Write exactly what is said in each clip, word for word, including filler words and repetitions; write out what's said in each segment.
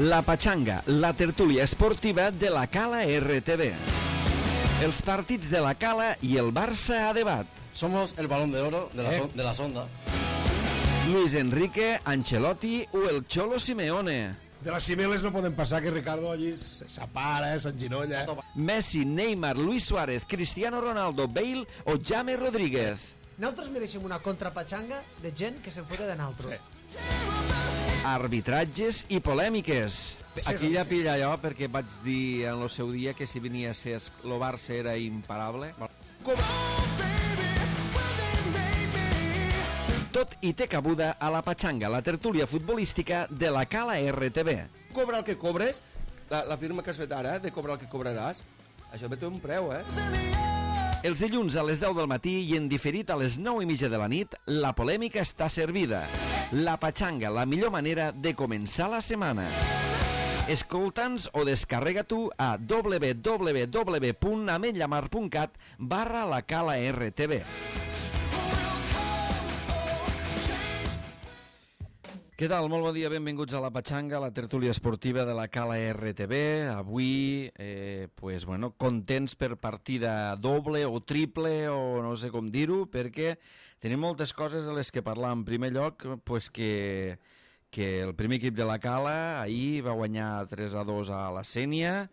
La Pachanga, la tertúlia esportiva de la Cala R T V. Els partits de la Cala i el Barça a debat. Somos el balón de oro de, la eh. son, de las ondas. Luis Enrique, Ancelotti o el Cholo Simeone. De les cimeles no poden passar, que Ricardo allí s'apara, s'enginolla. Messi, Neymar, Luis Suárez, Cristiano Ronaldo, Bale o James Rodríguez. Nosaltres mereixem una contrapatxanga de gent que se'n fota de nosaltres. Arbitratges i polèmiques. Aquí ja pilla allò perquè vaig dir en el seu dia que si venia a ser el Barça era imparable. Tot i té cabuda a la Pachanga, la tertúlia futbolística de la Cala R T V. Cobra el que cobres, la, la firma que has fet ara, de cobrar el que cobraràs, això té un preu, eh? Els dilluns a les deu del matí i en diferit a les nou i mitja de la nit, la polèmica està servida. La Pachanga, la millor manera de començar la setmana. Escolta'ns o descarrega tu a w w w punt ametllamar punt cat barra la Cala R T V. Què tal? Molt bon dia, benvinguts a la Pachanga, la tertúlia esportiva de la Cala R T V. Avui, eh, pues, bueno, contents per partida doble o triple o no sé com dir-ho, perquè tenim moltes coses de les que parlar. En primer lloc, pues, que, que el primer equip de la Cala ahir va guanyar tres a dos a la Sénia.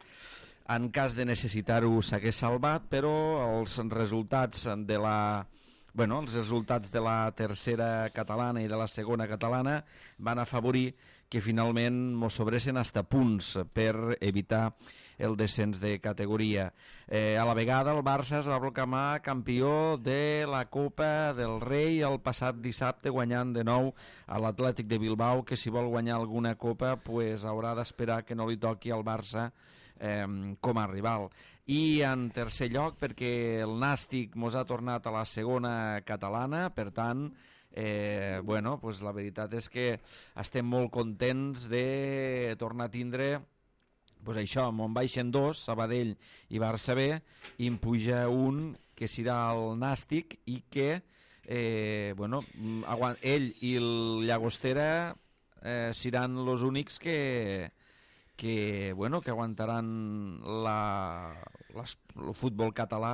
En cas de necessitar-ho s'hagués salvat, però els resultats de la... Bueno, els resultats de la tercera catalana i de la segona catalana van afavorir que finalment mos sobressin hasta punts per evitar el descens de categoria. Eh, a la vegada el Barça es va proclamar campió de la Copa del Rei el passat dissabte, guanyant de nou a l'Atlètic de Bilbao, que si vol guanyar alguna copa pues, haurà d'esperar que no li toqui al Barça Eh, com a rival. I en tercer lloc perquè el Nàstic mos ha tornat a la segona catalana, per tant eh, bueno, pues la veritat és que estem molt contents de tornar a tindre pues això, on baixen dos, Sabadell i Barça B, i en puja un que serà el Nàstic i que eh, bueno, ell i el Llagostera eh, seran els únics que que, bueno, que aguantaran la, la, el futbol català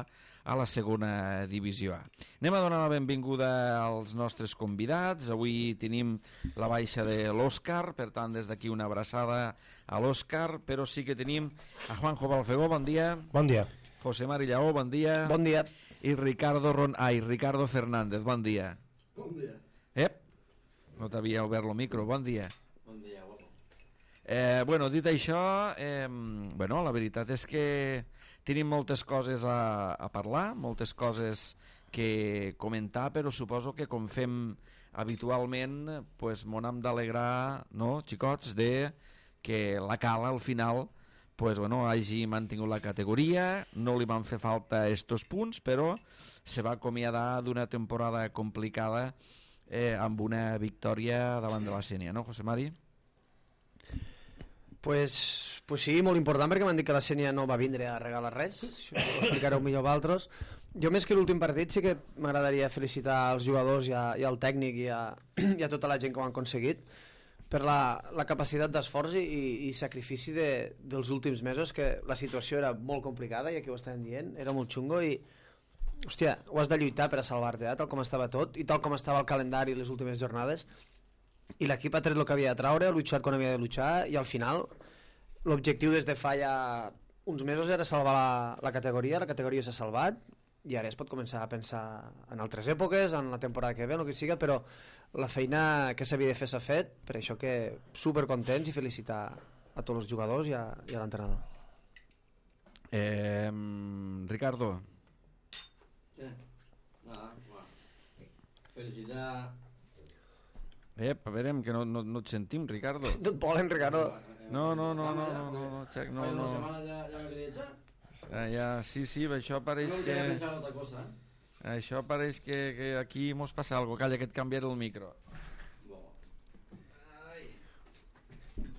a la segona divisió A. Anem a donar la benvinguda als nostres convidats. Avui tenim la baixa de l'Òscar, per tant, des d'aquí una abraçada a l'Òscar, però sí que tenim a Juanjo Balfegó, bon dia. Bon dia. José Mari Lleó, bon dia. Bon dia. I Ricardo, Ron... Ai, Ricardo Fernández, bon dia. Bon dia. Ep, no t'havia obert el micro, bon dia. Bon dia, guapo. Eh, bueno, dit això, eh, bueno, la veritat és que tenim moltes coses a, a parlar, moltes coses que comentar, però suposo que com fem habitualment, pues, m'ho hem d'alegrar, no, xicots, de que la Cala al final pues, bueno, hagi mantingut la categoria, no li van fer falta estos punts, però se va acomiadar d'una temporada complicada eh, amb una victòria davant de la Sénia, no, José Mari? Pues, pues sí, molt important, perquè m'han dit que la Sénia no va vindre a regalar res, això ho explicareu millor vosaltres. Jo més que l'últim partit sí que m'agradaria felicitar als jugadors i, a, i al tècnic i a, i a tota la gent que ho han aconseguit per la, la capacitat d'esforç i, i sacrifici de, dels últims mesos, que la situació era molt complicada i aquí ho estàvem dient, era molt xungo i hòstia, ho has de lluitar per a salvar-te, eh, tal com estava tot i tal com estava el calendari les últimes jornades. I l'equip ha tret el que havia de treure, ha luchat quan havia de luchar i al final l'objectiu des de fa ja uns mesos era salvar la, la categoria, la categoria s'ha salvat i ara es pot començar a pensar en altres èpoques, en la temporada que ve, el que siga, però la feina que s'havia de fer s'ha fet, per això que supercontents i felicitar a tots els jugadors i a, i a l'entrenador. Eh, Ricardo. Sí, nada, bueno. Felicitar... Ep, a veure, que no, no, no et sentim, Ricardo. No et volen, Ricardo. No, no, no, no, no, no, no, xec, no, Hay una no. semana ya, ya me quería echar. Ah, ja, sí, sí, això pareix No que... quería pensar otra cosa, ¿eh? Això pareix que, que aquí mos passa algo. Calla, que et canviaré el micro. Bueno.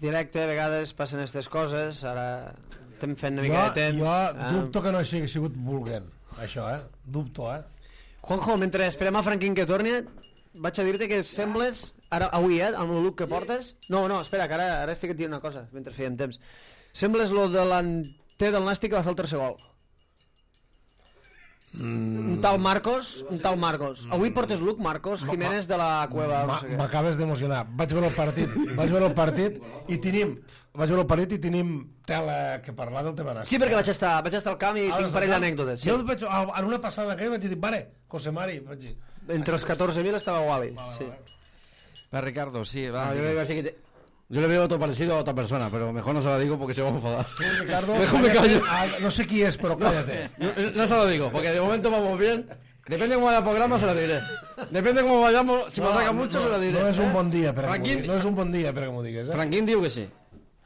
Directe, a vegades passen aquestes coses, ara estem fent una Jo, mica de temps. jo Ah. dubto que no hagi sigut volent, això, eh? Dubto, eh? Juanjo, mentre esperem a Franquín que torni, vaig a dir-te que sembles, ara, avui, eh, amb el look que portes... No, no, espera, que ara, ara estic et dient una cosa, mentre fèiem temps. Sembles lo delanter del Nàstic que va fer el tercer gol. Mm. Un tal Marcos, un tal Marcos. Avui portes look, Marcos Jiménez de la Cueva. No sé què. M'acabes d'emocionar. Vaig veure el partit, vaig veure el partit i tenim... Vaig veure el partit i tenim tela que parlar del tema Nàstic. Sí, perquè vaig estar, vaig estar al camp i tinc un parell d'anècdotes. Jo vaig, en una passada que vaig dir, vale, José Mari, vaig dir... Entre els catorze mil estava Wally. Sí. Va, Ricardo, sí, va. Ah, yo le iba a decir que te- yo le veo otro parecido a otra persona, pero mejor no se lo digo porque se va a enfadar. Ricardo, Mejor me callo. Ah, no sé qui és, però cállate. No, no se lo digo, porque de momento vamos bien. Depende cómo vaya el programa, se lo diré. Depende cómo vayamos, si me ataca mucho, se lo diré. No és un bon dia per a que m'ho Franquín, diguis. No és un bon dia per a que m'ho digues, eh? Franquín digo que sí.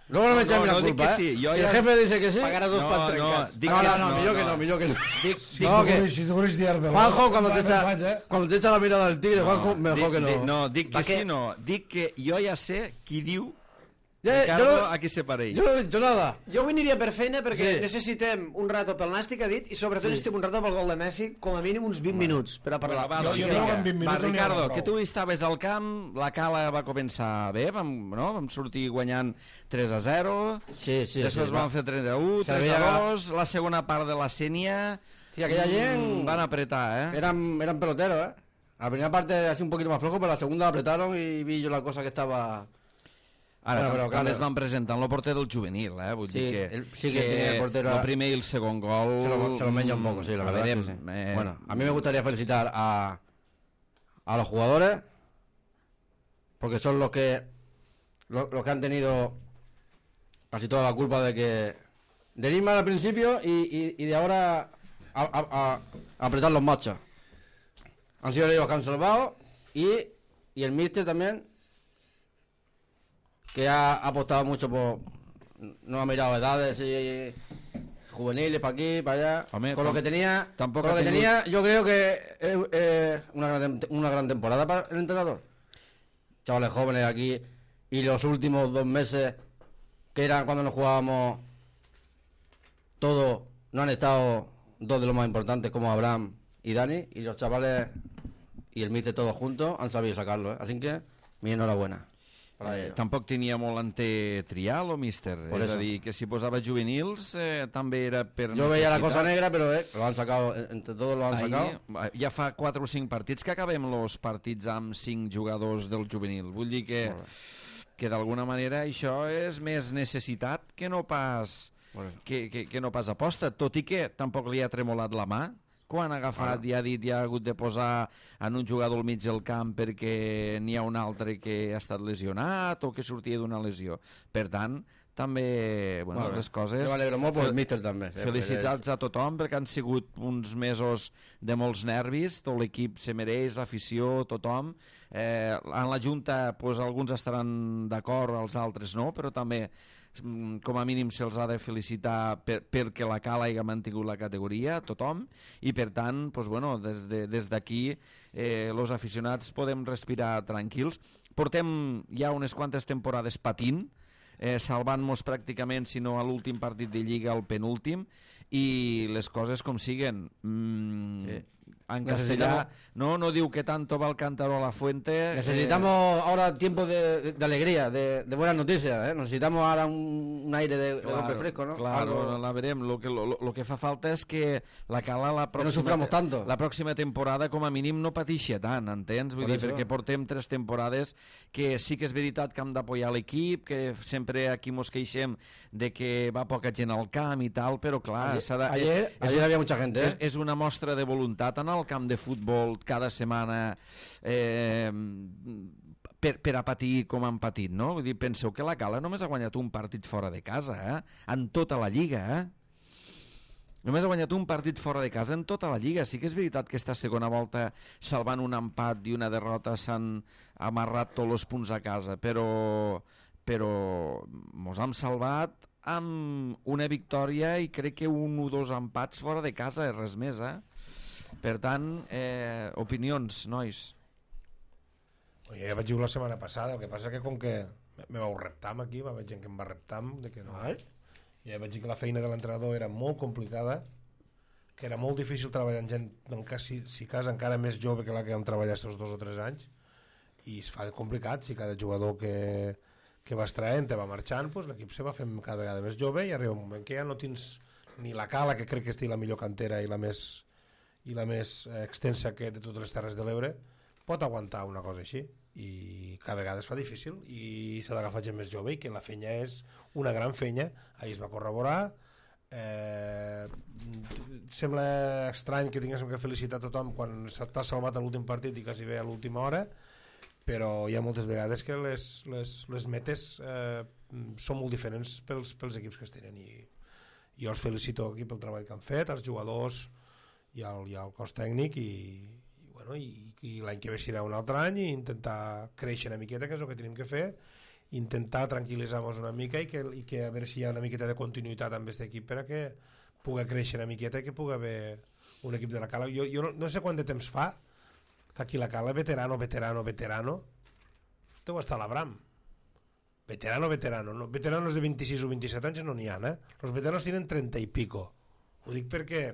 Luego no me echan no, la no dic culpa, que sí, ¿eh? jo Si ja- el jefe dice que sí... Pagaràs dos No, pats no, trencats. dic No, que no, no, no, millor que no. no, millor que no. Dic, dic, No, que- Si tu vols dir-me... Juanjo, cuando te, Va, echa, vaig, eh? cuando te echa la mirada del tigre, Juanjo, mejor que no. dic, no, dic que ¿Pa qué? sí, no. Dic que jo ja sé qui diu Ya, Ricardo yo, no, a qui se pareix. yo no he dicho nada. Jo avui aniria per feina perquè Sí. necessitem un rato pel Nàstic, ha dit, i sobretot necessitem un rato pel gol de Messi, com a mínim uns vint minuts per a parlar. Va, Jo- doncs jo vinga. crec que en vint minuts Va, no n'hi haurà Ricardo, prou. que tu estaves al camp, la Cala va començar bé, vam, no? vam sortir guanyant tres a zero, Sí, sí, després sí. van fer tres a u, Se tres veia a dos, la segona part de la Sènia Sí, aquella gent van apretar, eh? eran, eran peloteros, ¿eh? La primera parte así un poquito más flojo, pero la segunda la apretaron y vi yo la cosa que estaba... Ara, Bueno, però, però, clar, es van presentar el porter del juvenil, eh? Vull Sí, dir que, el- sí que tenía el portero- el primer i el segon gol... Se lo, se lo meña un poco, sí, la a verdad. veure, sí, sí. eh, Bueno, a mí me gustaría felicitar a, a los jugadores, porque son los que los, los que han tenido casi toda la culpa de que del Ismael al principio y, y, y de ahora a, a- a- a apretar los machos. Han sido ellos los que han salvado y, y el míster también, que ha, ha apostado mucho por... No ha mirado edades y juveniles para aquí, para allá. Hombre, con lo tam- que tenía, tampoco con lo ha que tingut- tenía, yo creo que es eh, una, gran, una gran temporada para el entrenador. Chavales jóvenes aquí y los últimos dos meses, que eran cuando nos jugábamos todos, no han estado dos de los más importantes como Abraham y Dani, y los chavales y el míster todos juntos han sabido sacarlo, ¿eh? Así que mi enhorabuena para Eh, ellos. tampoc tenia molt ante trial, o míster? Por és eso. a dir, que si posava juvenils eh, també era per Yo veía la necessitat. cosa negra, pero eh, lo han sacado, eh, entre todos lo han Ahir, sacado. ja fa quatre o cinc partits que acabem els partits amb cinc jugadors del juvenil. Vull dir que, que d'alguna manera això és més necessitat que no pas, Por eso. que, que, que no pas aposta, tot i que tampoc li ha tremolat la mà quan ha agafat i ha dit i ha hagut de posar en un jugador al mig del camp perquè n'hi ha un altre que ha estat lesionat o que sortia d'una lesió. Per tant, també bueno, Molt bé. les coses... Jo m'alegro molt per el Fel- míster també. eh, Felicitats a tothom perquè han sigut uns mesos de molts nervis, tot l'equip se mereix, l'afició, tothom. Eh, en la Junta pues, alguns estaran d'acord, els altres no, però també mm, com a mínim se'ls ha de felicitar per, perquè la Cala hagi mantingut la categoria, tothom, i per tant, pues, bueno, des de, des d'aquí eh, els aficionats podem respirar tranquils. Portem ja unes quantes temporades patint, eh, salvant-nos pràcticament, si no a l'últim partit de Lliga, al penúltim, i les coses com siguen. Mm, Sí. En Necesitamos- castellà, no, no diu que tanto va el cántaro a la fuente. Necesitamos ahora tiempos de, de, de alegría, de, de buenas noticias, ¿eh? Necesitamos ahora un, un aire de, de golpe fresco, ¿no? Claro, Algo- la verem. Lo que, lo, lo que fa falta és que la Cala la Que no pròxima, suframos tanto. la pròxima temporada com a mínim no patixi tant, entens? Vull Por dir, eso. perquè portem tres temporades que sí que és veritat que hem d'apoyar l'equip, que sempre aquí mos queixem de que va poca gent al camp i tal, però clar... Ayer, s'ha de, ayer, és, ayer había mucha gente, és, ¿eh? és una mostra de voluntat anar al camp de futbol cada setmana eh, per, per a patir com han patit, no? Vull dir, penseu que la Cala només ha guanyat un partit fora de casa, eh? En tota la Lliga, eh? Només ha guanyat un partit fora de casa en tota la Lliga. Sí que és veritat que esta segona volta, salvant un empat i una derrota, s'han amarrat tots els punts a casa, però, però mos hem salvat amb una victòria i crec que un o dos empats fora de casa, res més, eh? Per tant, eh, opinions, nois. Oye, ja vaig dir la setmana passada, el que passa que com que me vau reptar aquí, va haver gent que em va reptar de que no. Ai. Ja vaig dir que la feina de l'entrenador era molt complicada que era molt difícil treballar amb gent, si, si cas encara més jove que la que vam treballar aquests dos o tres anys, i es fa complicat. Si cada jugador que, que vas traient te va marxant, pues l'equip se va fent cada vegada més jove i arriba un moment que ja no tens ni la Cala, que crec que estigui la millor cantera i la més, i la més extensa que de totes les Terres de l'Ebre, pot aguantar una cosa així, i cada vegada es fa difícil i s'ha d'agafar gent més jove, i que la fenya és una gran fenya. Ahir es va corroborar. Eh, sembla estrany que tinguéssim que felicitar tothom quan t'ha salvat a l'últim partit i quasi bé a l'última hora, però hi ha moltes vegades que les, les, les metes eh, són molt diferents pels, pels equips que es tenen, i jo els felicito aquí pel treball que han fet, els jugadors i el, i el cos tècnic, i Bueno, i, i l'any que ve serà un altre any, i intentar créixer una miqueta, que és el que tenim que fer, intentar tranquil·litzar-nos una mica i que, i que a veure si hi ha una miqueta de continuïtat amb aquest equip per a que pugui créixer una miqueta i que pugui haver un equip de la Cala. Jo, jo no, no sé quant de temps fa que aquí la Cala, veterano, veterano, veterano, deu estar a l'Abram. Veterano, veterano. No? Veteranos de vint-i-sis o vint-i-set anys no n'hi ha, eh? Els veteranos tenen trenta i pico. Ho dic perquè...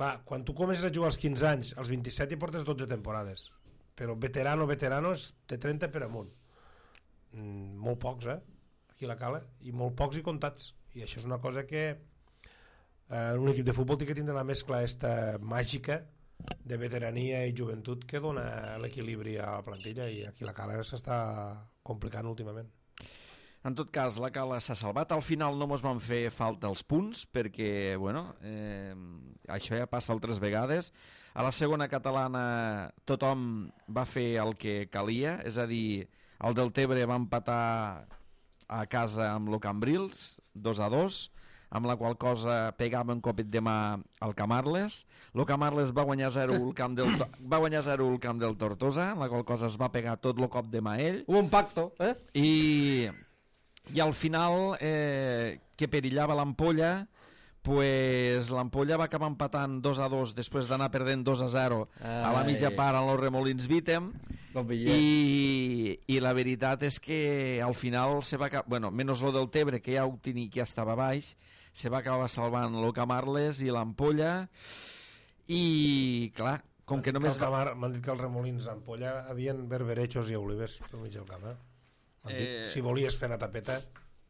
Clar, quan tu comences a jugar als quinze anys, als vint-i-set hi portes dotze temporades, però veterano, veterano és de trenta per amunt. Mm, molt pocs, eh? Aquí a la Cala, i molt pocs i comptats. I això és una cosa que eh, un equip de futbol té que tindre la mescla esta màgica de veterania i joventut que dona l'equilibri a la plantilla, i aquí a la Cala s'està complicant últimament. En tot cas, la Cala s'ha salvat. Al final no mos van fer falta els punts, perquè, bueno, eh, això ja passa altres vegades. A la segona catalana tothom va fer el que calia, és a dir, el Deltebre va empatar a casa amb el Cambrils, dos a dos, amb la qual cosa pegava un copet de mà al Camarles. El Camarles va guanyar zero al camp del, va guanyar zero al camp del Tortosa, amb la qual cosa es va pegar tot el cop de mà ell. Hubo un pacto, eh? I... I al final, eh, que perillava l'Ampolla, pues l'Ampolla va acabar empatant dos a dos després d'anar perdent dos a zero Ai. A la mitja part en els Remolins Vítem, i, i la veritat és que al final se va, bueno, menys lo del Tebre, que ja ho tenia, que ja estava baix, se va acabar salvant el Camarles i l'Ampolla, i clar, com que només... M'han dit que els Remolins d'Ampolla havien berberechos i olivers pel mig del camp, eh? Eh... Si volies fer una tapeta,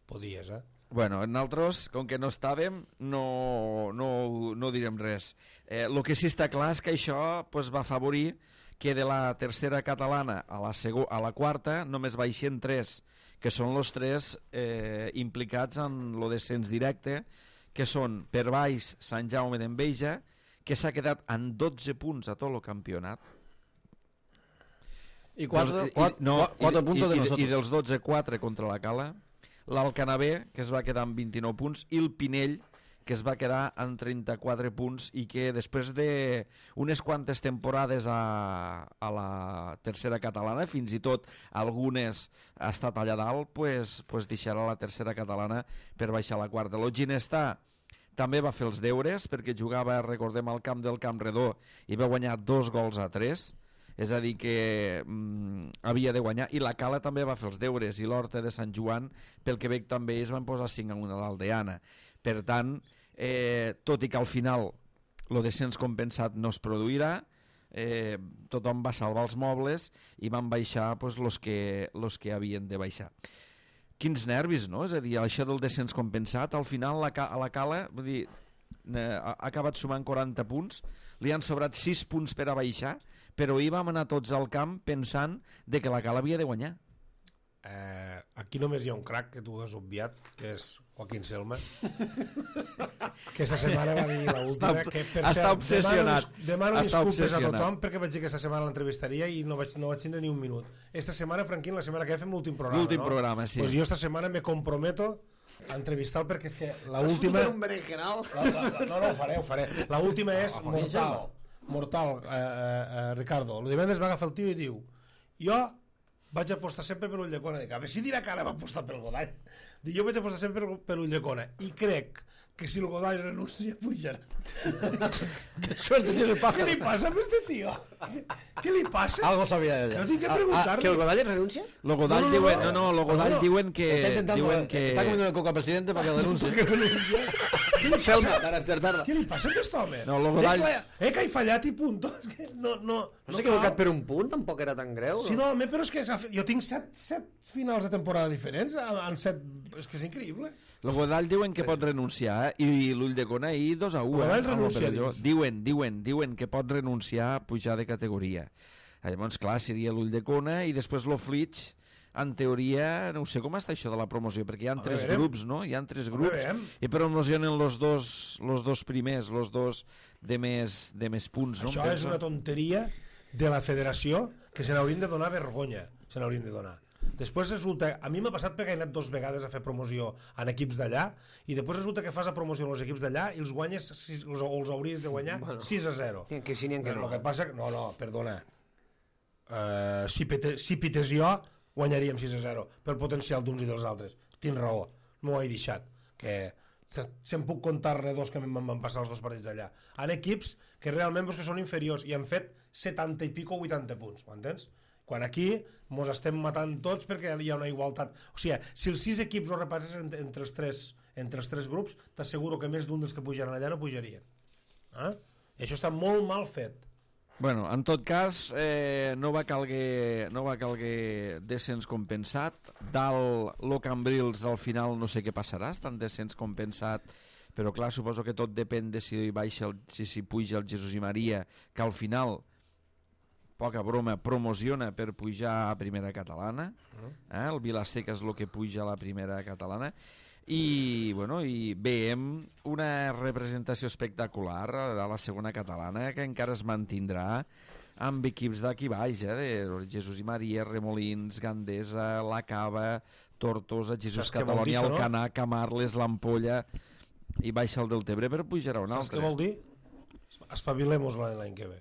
podies, eh? Bueno, nosaltres, com que no estàvem, no, no, no direm res. Eh, el que sí està clar és que això pues, va afavorir que de la tercera catalana a la, segu a la quarta només baixen tres, que són els tres eh, implicats en el descens directe, que són per baix Sant Jaume d'Enveja, que s'ha quedat en dotze punts a tot el campionat. I quatre, Dos, quatre, i, no, quatre puntos i, de i, nosotros. I dels dotze, quatre contra la Cala. L'Alcanabé, que es va quedar amb vint-i-nou punts, i el Pinell, que es va quedar amb trenta-quatre punts, i que després d'unes quantes temporades a, a la tercera catalana, fins i tot algunes ha estat allà dalt, pues, pues deixarà la tercera catalana per baixar a la quarta. El Ginestà també va fer els deures, perquè jugava, recordem, al camp del Camp Redó, i va guanyar dos gols a tres, és a dir que mm, havia de guanyar, i la Cala també va fer els deures, i l'Horta de Sant Joan pel Quebec també es van posar cinc a una a l'Aldeana. Per tant, eh, tot i que al final el descens compensat no es produirà, eh, tothom va salvar els mobles i van baixar pues, los que, los que havien de baixar. Quins nervis, no? És a dir, això del descens compensat, al final la, a la Cala, vull dir, eh, ha acabat sumant quaranta punts, li han sobrat sis punts per a baixar, però ahir vam anar tots al camp pensant de que la Cala havia de guanyar. Eh, aquí només hi ha un crac que tu has obviat, que és Joaquín Selma, que aquesta setmana va dir l'última, que per està cert, obsessionat. demano, demano disculpes a tothom perquè vaig dir que aquesta setmana l'entrevistaria i no vaig, no vaig tindre ni un minut. Esta setmana, Franquín, la setmana que ve fem l'últim programa, l'últim no? programa, sí. Pues jo esta setmana me comprometo a entrevistar-lo perquè és que l'última... Has fotut un berenjenal? No, no, ho faré, ho faré. L'última és mortal, mortal, eh, eh, Ricardo. El divendres va agafar el tio i diu: jo vaig apostar sempre per Ulldecona. Dic, a veure si dirà que ara va apostar pel Godall. Dic, jo vaig apostar sempre per Ulldecona i crec que si el Godall renuncia pujarà. Qué suerte tiene el pájaro. Què li passa a este tío? Què li passa? Algo sabía ella. No tinc que preguntar-li. ¿Que el Godall renuncia? Lo Godall No, no, no, diuen, no, no, lo Godall no, no. diuen que Está intentando, diuen que está comiendo el coca al presidente para que denuncie. Selma, per encertar-la. Què li passa a aquest home? No, lo Sí, Godall- clar, eh, que he fallat i punto. És que no, no, No s'ha equivocat per un punt, tampoc era tan greu. Sí, no, home, però és que s'ha fet- jo tinc set, set finals de temporada diferents, en set... És que és increïble. El Godall diuen que pot renunciar eh? I l'Ulldecona ahir dos a u. El Godall Eh? renuncia, Amb l'Operador. dius? Diuen, diuen, diuen que pot renunciar a pujar de categoria. Llavors, clar, seria l'Ulldecona i després l'Oflitx. En teoria, no sé com està això de la promoció, perquè hi ha tres veurem. grups, no? Hi ha tres Home, grups veurem. i promocionen los dos, los dos primers, los dos de més, de més punts, no? Això Em és penso. una tonteria de la federació que se n'haurien de donar vergonya. Se n'haurien de donar. Després resulta... A mi m'ha passat perquè he anat dues vegades a fer promoció en equips d'allà i després resulta que fas la promoció en els equips d'allà i els guanyes, sis, els, o els hauries de guanyar bueno, sis a zero. Que sí, n'hi ha que no. El que passa... No, no, perdona. Uh, si, pete, si pites jo, guanyaríem sis a zero pel potencial d'uns i dels altres. Tinc raó, m'ho he deixat. Que se, se em puc contar-ne dos que em van passar els dos partits allà. En equips que realment pues, que són inferiors i han fet setanta i pico o vuitanta punts, ho entens? Quan aquí mos estem matant tots perquè hi ha una igualtat. O sigui, si els sis equips ho repasses entre, entre, els, tres, entre els tres grups, t'asseguro que més d'un dels que pujaran allà no pujarien. Eh? I això està molt mal fet. Bueno, en tot cas, eh, no va calguer, no va calguer descens compensat. Dalt, lo Cambrils, al final no sé què passarà, estan descens compensat, però clar, suposo que tot depèn de si baixa el, si, si puja el Jesús i Maria, que al final, poca broma, promociona per pujar a primera catalana. Eh? El Vilaseca és el que puja a la primera catalana. I, bueno, i veiem una representació espectacular de la segona catalana que encara es mantindrà amb equips d'aquí baix, eh, de Jesús i Maria, Remolins, Gandesa, La Cava, Tortosa, Jesús Saps què vol dir, Catalunya, això, no? Alcanar, Camarles, l'Ampolla i baixa el del Tebre per pujar a un Saps altre. què vol dir? Espavilem-nos l'any que ve.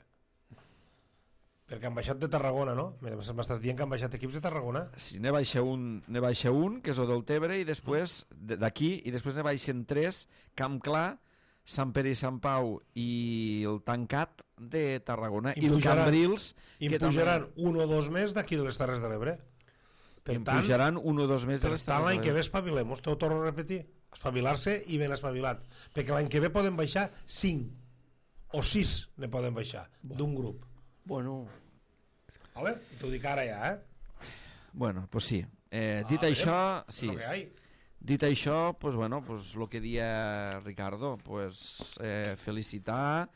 Perquè han baixat de Tarragona, no? M'estàs dient que han baixat equips de Tarragona? Sí, ne baixa un, ne baixa un, que és el del Tebre, i després d'aquí, i després ne baixen tres, Camp Clar, Sant Pere i Sant Pau i el Tancat de Tarragona, i, I el pujaran- Cambrils, I que en pujaran també, un o dos més d'aquí de les Terres de l'Ebre. Per i tant, pujaran un o dos més de per les tant l'any Terres que de ve espavilem-nos, t'ho torno a repetir. Espavilar-se i ben espavilat. Perquè l'any que ve poden baixar cinc o sis ne poden baixar d'un grup. Bueno, Vale? I t'ho dic ara ja, eh? bueno, pues sí. Eh, dit Ah, això, És sí. lo que hi ha. Dit això, pues bueno, pues lo que dia Ricardo, pues eh, felicitar.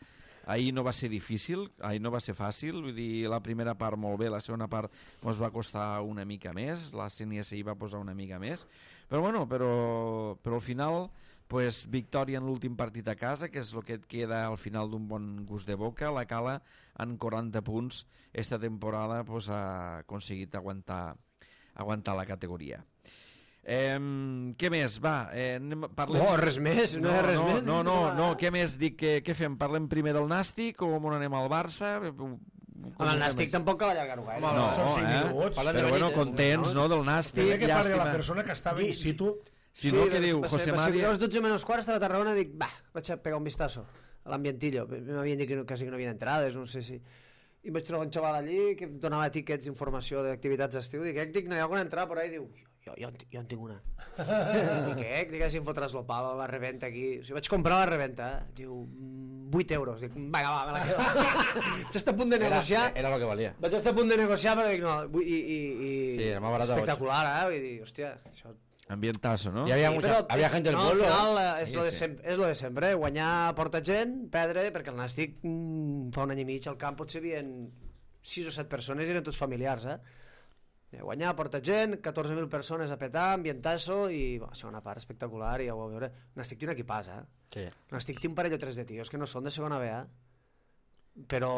Ahir no va ser difícil, ahir no va ser fàcil, vull dir, la primera part molt bé, la segona part ens va costar una mica més, la C N S I va posar una mica més, però bueno, però, però al final, pues, victòria en l'últim partit a casa, que és el que et queda al final d'un bon gust de boca. La Cala, en quaranta punts, esta temporada pues, ha aconseguit aguantar, aguantar la categoria. Eh, què més? Va, eh, anem, parlem... Oh, res més, no, hi ha res no, més. No, no, no, què més? Dic, que, què fem? Parlem primer del Nàstic o on anem al Barça? Com Home, el Nàstic tampoc cal allargar-ho gaire. Home, No, són cinc eh? minuts. Parlant de Però bueno, Benítez, contents, no, del Nàstic, Primer que parli la llàstima. persona que estava in situ. Si no, què diu va ser- José va ser María? a les dotze menys quart estava a Tarragona i dic, va, vaig a pegar un vistazo a l'ambientillo. M'havien dit que no, quasi que no havien entrades, no sé si... I vaig trobar un xaval allí que em donava tiquets d'informació d'activitats d'estiu. Dic, eh, dic, no hi ha alguna entrada por ahí? Diu, jo, jo, en, jo en tinc una. Dic, eh, dic, si em fotràs el pal a la reventa aquí. O sigui, vaig comprar la reventa, eh? Diu, vuit euros. Dic, vinga, va, me la quedo. Vaig estar a punt de Era, negociar. era lo que valía. Vaig estar a punt de negociar, però dic, no, vull- i, i, i... Sí, era más barato a ocho. espectacular, eh? Vull dir, hòstia, això... Ambientazo, no? Y había, Sí, mucha, però había és- gente del no, pueblo. Al final, ¿eh? eh, és, Sí, lo de sí. sempre, és lo de sempre, eh? Guanyar porta gent, perdre, perquè el Nàstic mm, fa un any i mig al camp potser havien sis o set persones i eren tots familiars, eh? Eh, Guanyar porta gent, catorze mil persones a petar, ambientazo i bueno, segona part espectacular i ja ho vau veure. El Nàstic té un equipàs, eh? Sí. El Nàstic té un parell o tres de tios que no són de segona B, eh? Però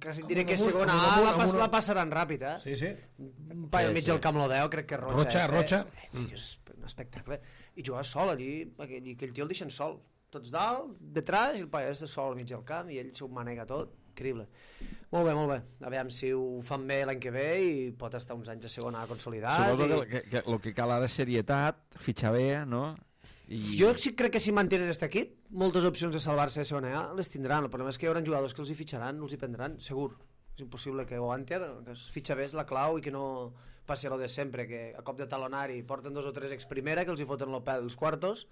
quasi et diré que Amb un- segona amb un- A la, amb pas, una- la passaran ràpid, eh? Sí, sí. Un paio Sí, al mig sí. del camp lo veu, crec que és Rocha. Rocha, este. Rocha. Eh, tio, és un espectacle. I jugava sol allí, aquell, aquell tio el deixen sol. Tots dalt, detrás, i el paio és de sol al mig del camp, i ell s'ho manega tot. Increïble. Molt bé, molt bé. A veure si ho fan bé l'any que ve i pot estar uns anys a segona A consolidat. Suposo I... que, que, que el que cal ara és serietat, fitxar bé, no? I... Jo sí crec que si mantenen aquest equip, moltes opcions de salvar-se de segona A les tindran. El problema és que hi haurà jugadors que els hi fitxaran, els hi prendran, segur. És impossible que o Anter, que es fitxa bé és la clau i que no passi lo de sempre, que a cop de talonari porten dos o tres ex primera que els hi foten el pèl els quartos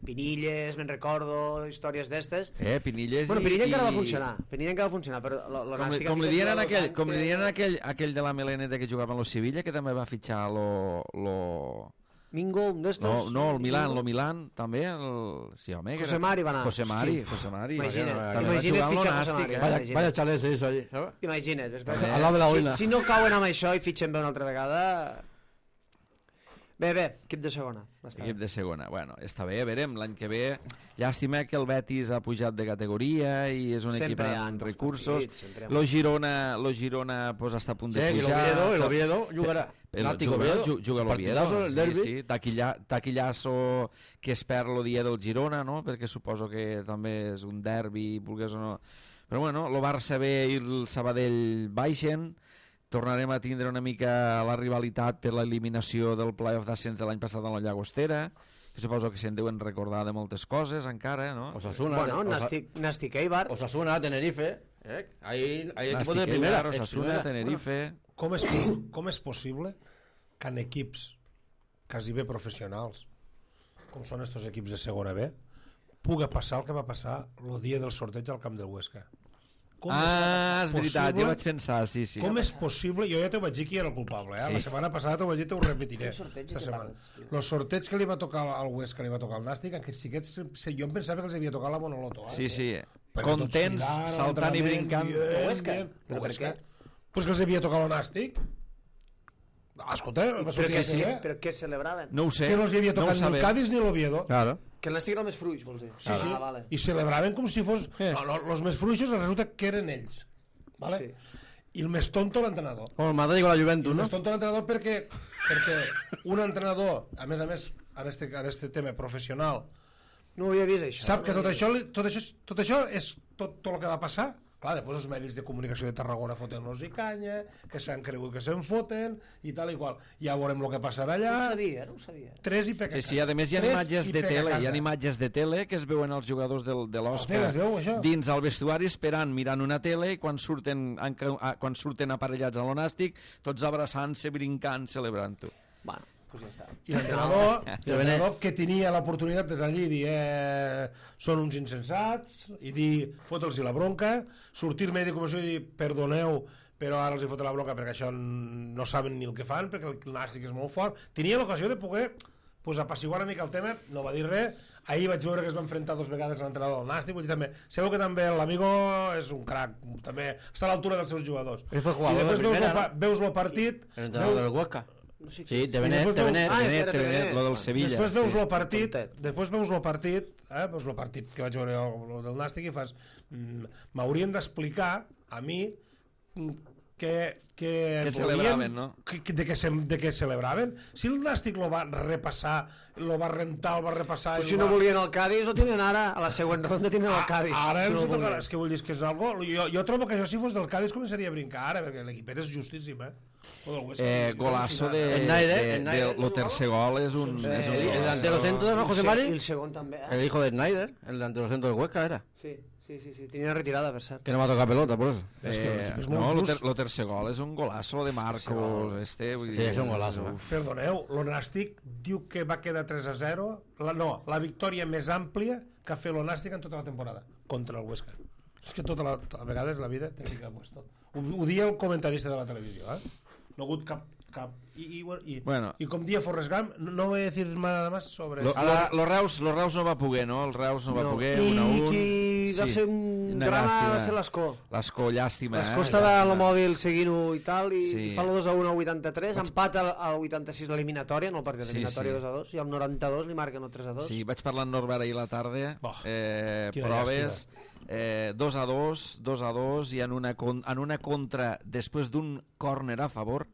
Pinilles, me'n recordo, històries d'estes. Eh, Pinilles Bueno, i... Pinilla encara va i- funcionar, Pinilla encara va funcionar, però l- Com, li, l'Nàstic... com li dien en aquell, com li dien en aquell, aquell de la meleneta que jugava en lo Sevilla, que també va fitxar lo... lo... Mingo, un d'estos... No, no, el Milan, lo Milan, també, el... Sí, home, que José era- Mari va anar. José Mari, Hosti. José Mari. Imagina't, També va imagina't jugar amb lo fitxar José Nàstic, Mari. eh? Vaya, Imagina't. vaya chalet se hizo allí, ¿sabes? Imagina't, ves, ves, També. Al lado de la si, boina. si no cauen amb això i fitxen bé una altra vegada... Bé, bé, equip de segona. Està Equip bé. de segona. Bueno, està bé, verem, l'any que ve. Llàstima que el Betis ha pujat de categoria i és un Sempre equip hi ha amb bons recursos. partits, sempre hi ha Lo Girona, lo Girona pues, està a punt Sí, de y el pujar. Oviedo, el Oviedo jugará. El, Nático juga, Oviedo. ju- juga l'Oviedo. Partidazo, el derbi. Sí, sí. Taquilla, taquillasso que es perd el dia del Girona, no? Perquè suposo que també és un derbi, vulgués o no. Però bueno, el Barça B i el Sabadell baixen. Tornarem a tindre una mica la rivalitat per l'eliminació del playoff d'ascens de l'any passat a la Llagostera, que suposo que se'n deuen recordar de moltes coses encara, no? Osasuna. Bueno, Osa- Nàstic, Nàstic Eibar. Osasuna, Tenerife. ¿eh? Hay, hay equipos de Nàstic, primera. Eibar, eh, Osasuna, primera. Tenerife... Com és, com és possible que en equips quasi bé professionals, com són estos equips de segona B, puga passar el que va passar el dia del sorteig al camp del Huesca? Com Ah, és veritat, possible- jo vaig pensar, sí, sí. Com és possible? Jo ja t'ho vaig dir qui era el culpable, eh? Sí. La setmana passada t'ho vaig dir, t'ho repetiré. sorteig Esta de què setmana. parles? El sorteig que li va tocar al Huesca, li va tocar al Nàstic, en què sí que ets- jo em pensava que els havia tocat la monoloto. Eh? Sí, sí. Perquè tots Contents, cridant, saltant i entrenament, brincant. dient, El Huesca? dient. Però El per Huesca. què? Pues que els havia tocat el Nàstic. Ah, escolta, va Però sortir que, a sí, T V. però què celebraven? No ho sé. Que no els hi havia no ho tocat ni el sabem. Cádiz ni l'Oviedo. Claro. Que el Nàstic era el més fruix, vols dir? Sí, sí. Ah, vale. I celebraven com si fos... Eh. No, no, los més fruixos resulta que eren ells. Vale? Sí. I el més tonto l'entrenador. Como el Madrid con la I Juventus, el ¿no? més tonto l'entrenador perquè, perquè un entrenador, a més a més, en este, en este tema professional, No ho havia vist, això. sap que no tot ho havia això, li- tot això, tot això és tot, tot el que va passar. Clar, després els medis de comunicació de Tarragona foten-los i canya, que s'han cregut que se'n foten, i tal i qual. Ja veurem el que passarà allà. No ho sabia, no ho sabia. Tres i peca Sí, sí, a més hi ha Tres imatges i de peca tele, hi ha casa. imatges de tele que es veuen els jugadors del, de l'Oscar tele es veu, això? dins el vestuari esperant, mirant una tele i quan surten, en, a- quan surten aparellats a l'Onàstic, tots abraçant-se, brincant, celebrant-ho. Bueno, doncs ja està. I l'entrenador, l'entrenador que tenia l'oportunitat de allí dir eh, són uns insensats i dir fota'ls la bronca, sortir-me de comissió i dir perdoneu però ara els hi foten la bronca perquè això n- no saben ni el que fan perquè el Nàstic és molt fort. Tenia l'ocasió de poder pues, apaciguar una mica el tema, no va dir res. Ahir vaig veure que es va enfrontar dos vegades a l'entrenador del Nàstic, vull dir també, sabeu que també l'amigo és un crac, també està a l'altura dels seus jugadors. Ell fue I jugador de després veus, primera, el, pa- veus el partit, El entrenador veus- del Huesca. No sé Sí, qui- de Benet, després de veu- Benet. Ah, Benet, era Benet, Benet. lo del Sevilla. Després veus sí. el partit, Tontet. després veus el partit, eh, veus el partit que vaig veure jo, el del Nàstic i fas, mm, m'haurien d'explicar a mi mm, que, que, Que volien- celebraven, no? Que, que- de, què se, de què celebraven. Si el Nàstic lo va repassar, lo va rentar, el va repassar... Però i si el no va... volien el Cádiz, ho tenen ara. A la següent ronda tenen el Cádiz. Ah, Ara si no no els volien. tocarà, és que vull dir que és algo... Jo, jo trobo que això si fos del Cádiz començaria a brincar ara, perquè l'equipet és justíssim, eh? O del Huesca, Eh, és golazo de, al·lucinant, El Naide, de, el de, Naide, lo tercer gol és un, Sí, és un El, el golazo. delantero centro, ¿no, José I Mari? el segon també, eh? El hijo de Snyder, el delantero centro del Huesca era. Sí, sí, sí, sí. Tenia retirada, per cert. Que no va a tocar pelota, por eso. És que Eh, l'equip és no, molt lo, ter, just. lo tercer gol és un golazo de Marcos, este, vull Sí, dir, és un golazo, eh? uf. Perdoneu, l'Onàstic diu que va quedar tres a zero, la, no, la victòria més àmplia que ha fet l'Onàstic en tota la temporada, contra el Huesca. És que tota la, a vegades la vida té que ficar puesto. Ho, ho dia el comentarista de la televisió, eh? No ha hagut cap... cap i, i, i, Bueno. i com dia Forrest Gump, no, no voy a decir nada más sobre Lo, eso. lo, lo, Reus, lo Reus no va poder, no? El Reus no va No. poder, I un a un. qui va ser un Una drama llàstima. va ser l'Escó. L'Escó, llàstima, L'Escó eh? estava a Llàstima. la mòbil seguint-ho i tal, i, Sí. i fa el dos a un al vuitanta-tres, empat al, al vuitanta-sis l'eliminatòria, no el partit Sí, eliminatòria sí. dos a dos, i al noranta-dos li marquen el tres a dos. Sí, vaig parlar amb Norbert ahir a la tarda, Oh, eh, quina proves, eh, dos a dos, dos a dos, i en una, con, en una contra, després d'un córner a favor,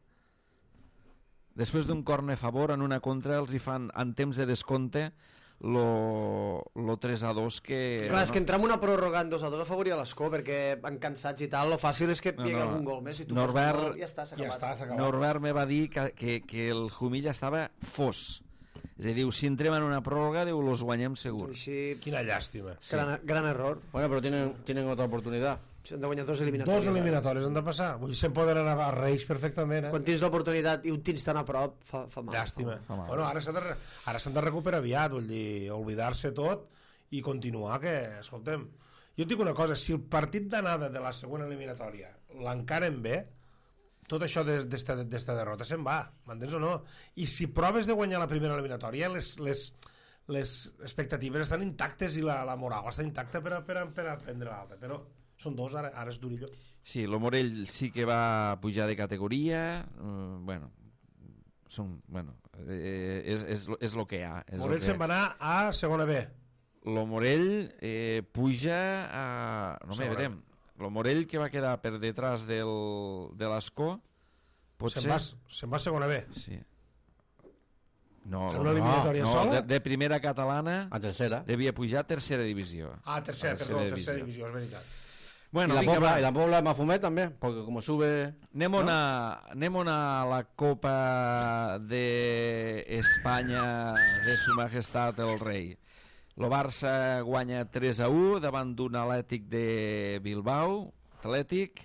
després d'un córner a favor, en una contra els hi fan, en temps de descompte, lo, lo tres a dos que... Clar, és que entrar en una pròrroga en dos a dos afavoria l'Escó, perquè van cansats i tal, lo fàcil és que hi No, hagi no. algun gol més, i tu Norbert- fos un gol, ja està, s'ha Ja acabat. està, s'ha acabat. Norbert me va dir que, que, que el Jumilla estava fos. És a dir, diu, si entrem en una pròrroga, diu, los guanyem segur. Així, Quina llàstima. gran, gran error. Bueno, pero tienen, tienen otra oportunidad. Han de guanyar dos eliminatòries. Dos eliminatòries han de passar. Vull dir, se'n poden anar a Reis perfectament, eh? Quan tens l'oportunitat i ho tens tan a prop, fa, fa mal. Llàstima. Fa mal. Bueno, ara s'han de, ara s'han de recuperar aviat, vull dir, oblidar-se tot i continuar, que, escoltem, jo et dic una cosa, si el partit d'anada de la següent eliminatòria l'encaren bé, tot això d'esta derrota se'n va, m'entens o no? I si proves de guanyar la primera eliminatòria, les, les, les expectatives estan intactes i la, la moral està intacta per a, per a, per a prendre l'altra, però són dos, ara, ara és durillo. Sí, el Morell sí que va pujar de categoria, uh, bueno, són, bueno, eh, és, és, és lo que hi ha. És Morell que... se'n va anar a segona B. Lo Morell eh, puja a... No me verem. Lo Morell que va quedar per detrás del, de l'Escó, potser... Se'n va, se'n va a segona B. Sí. No, En una eliminatòria no, sola? de, de primera catalana A tercera. devia pujar a tercera divisió. Ah, tercera, A perdó, tercera divisió, és veritat. Bueno, y, la vinga, Pobla, va. y la Pobla de Mafumet también, porque como sube... Anem, ¿no? a, anem a la Copa de Espanya de Su Majestat el Rei. El Barça guanya tres a u davant d'un Atlètic de Bilbao, Atlètic,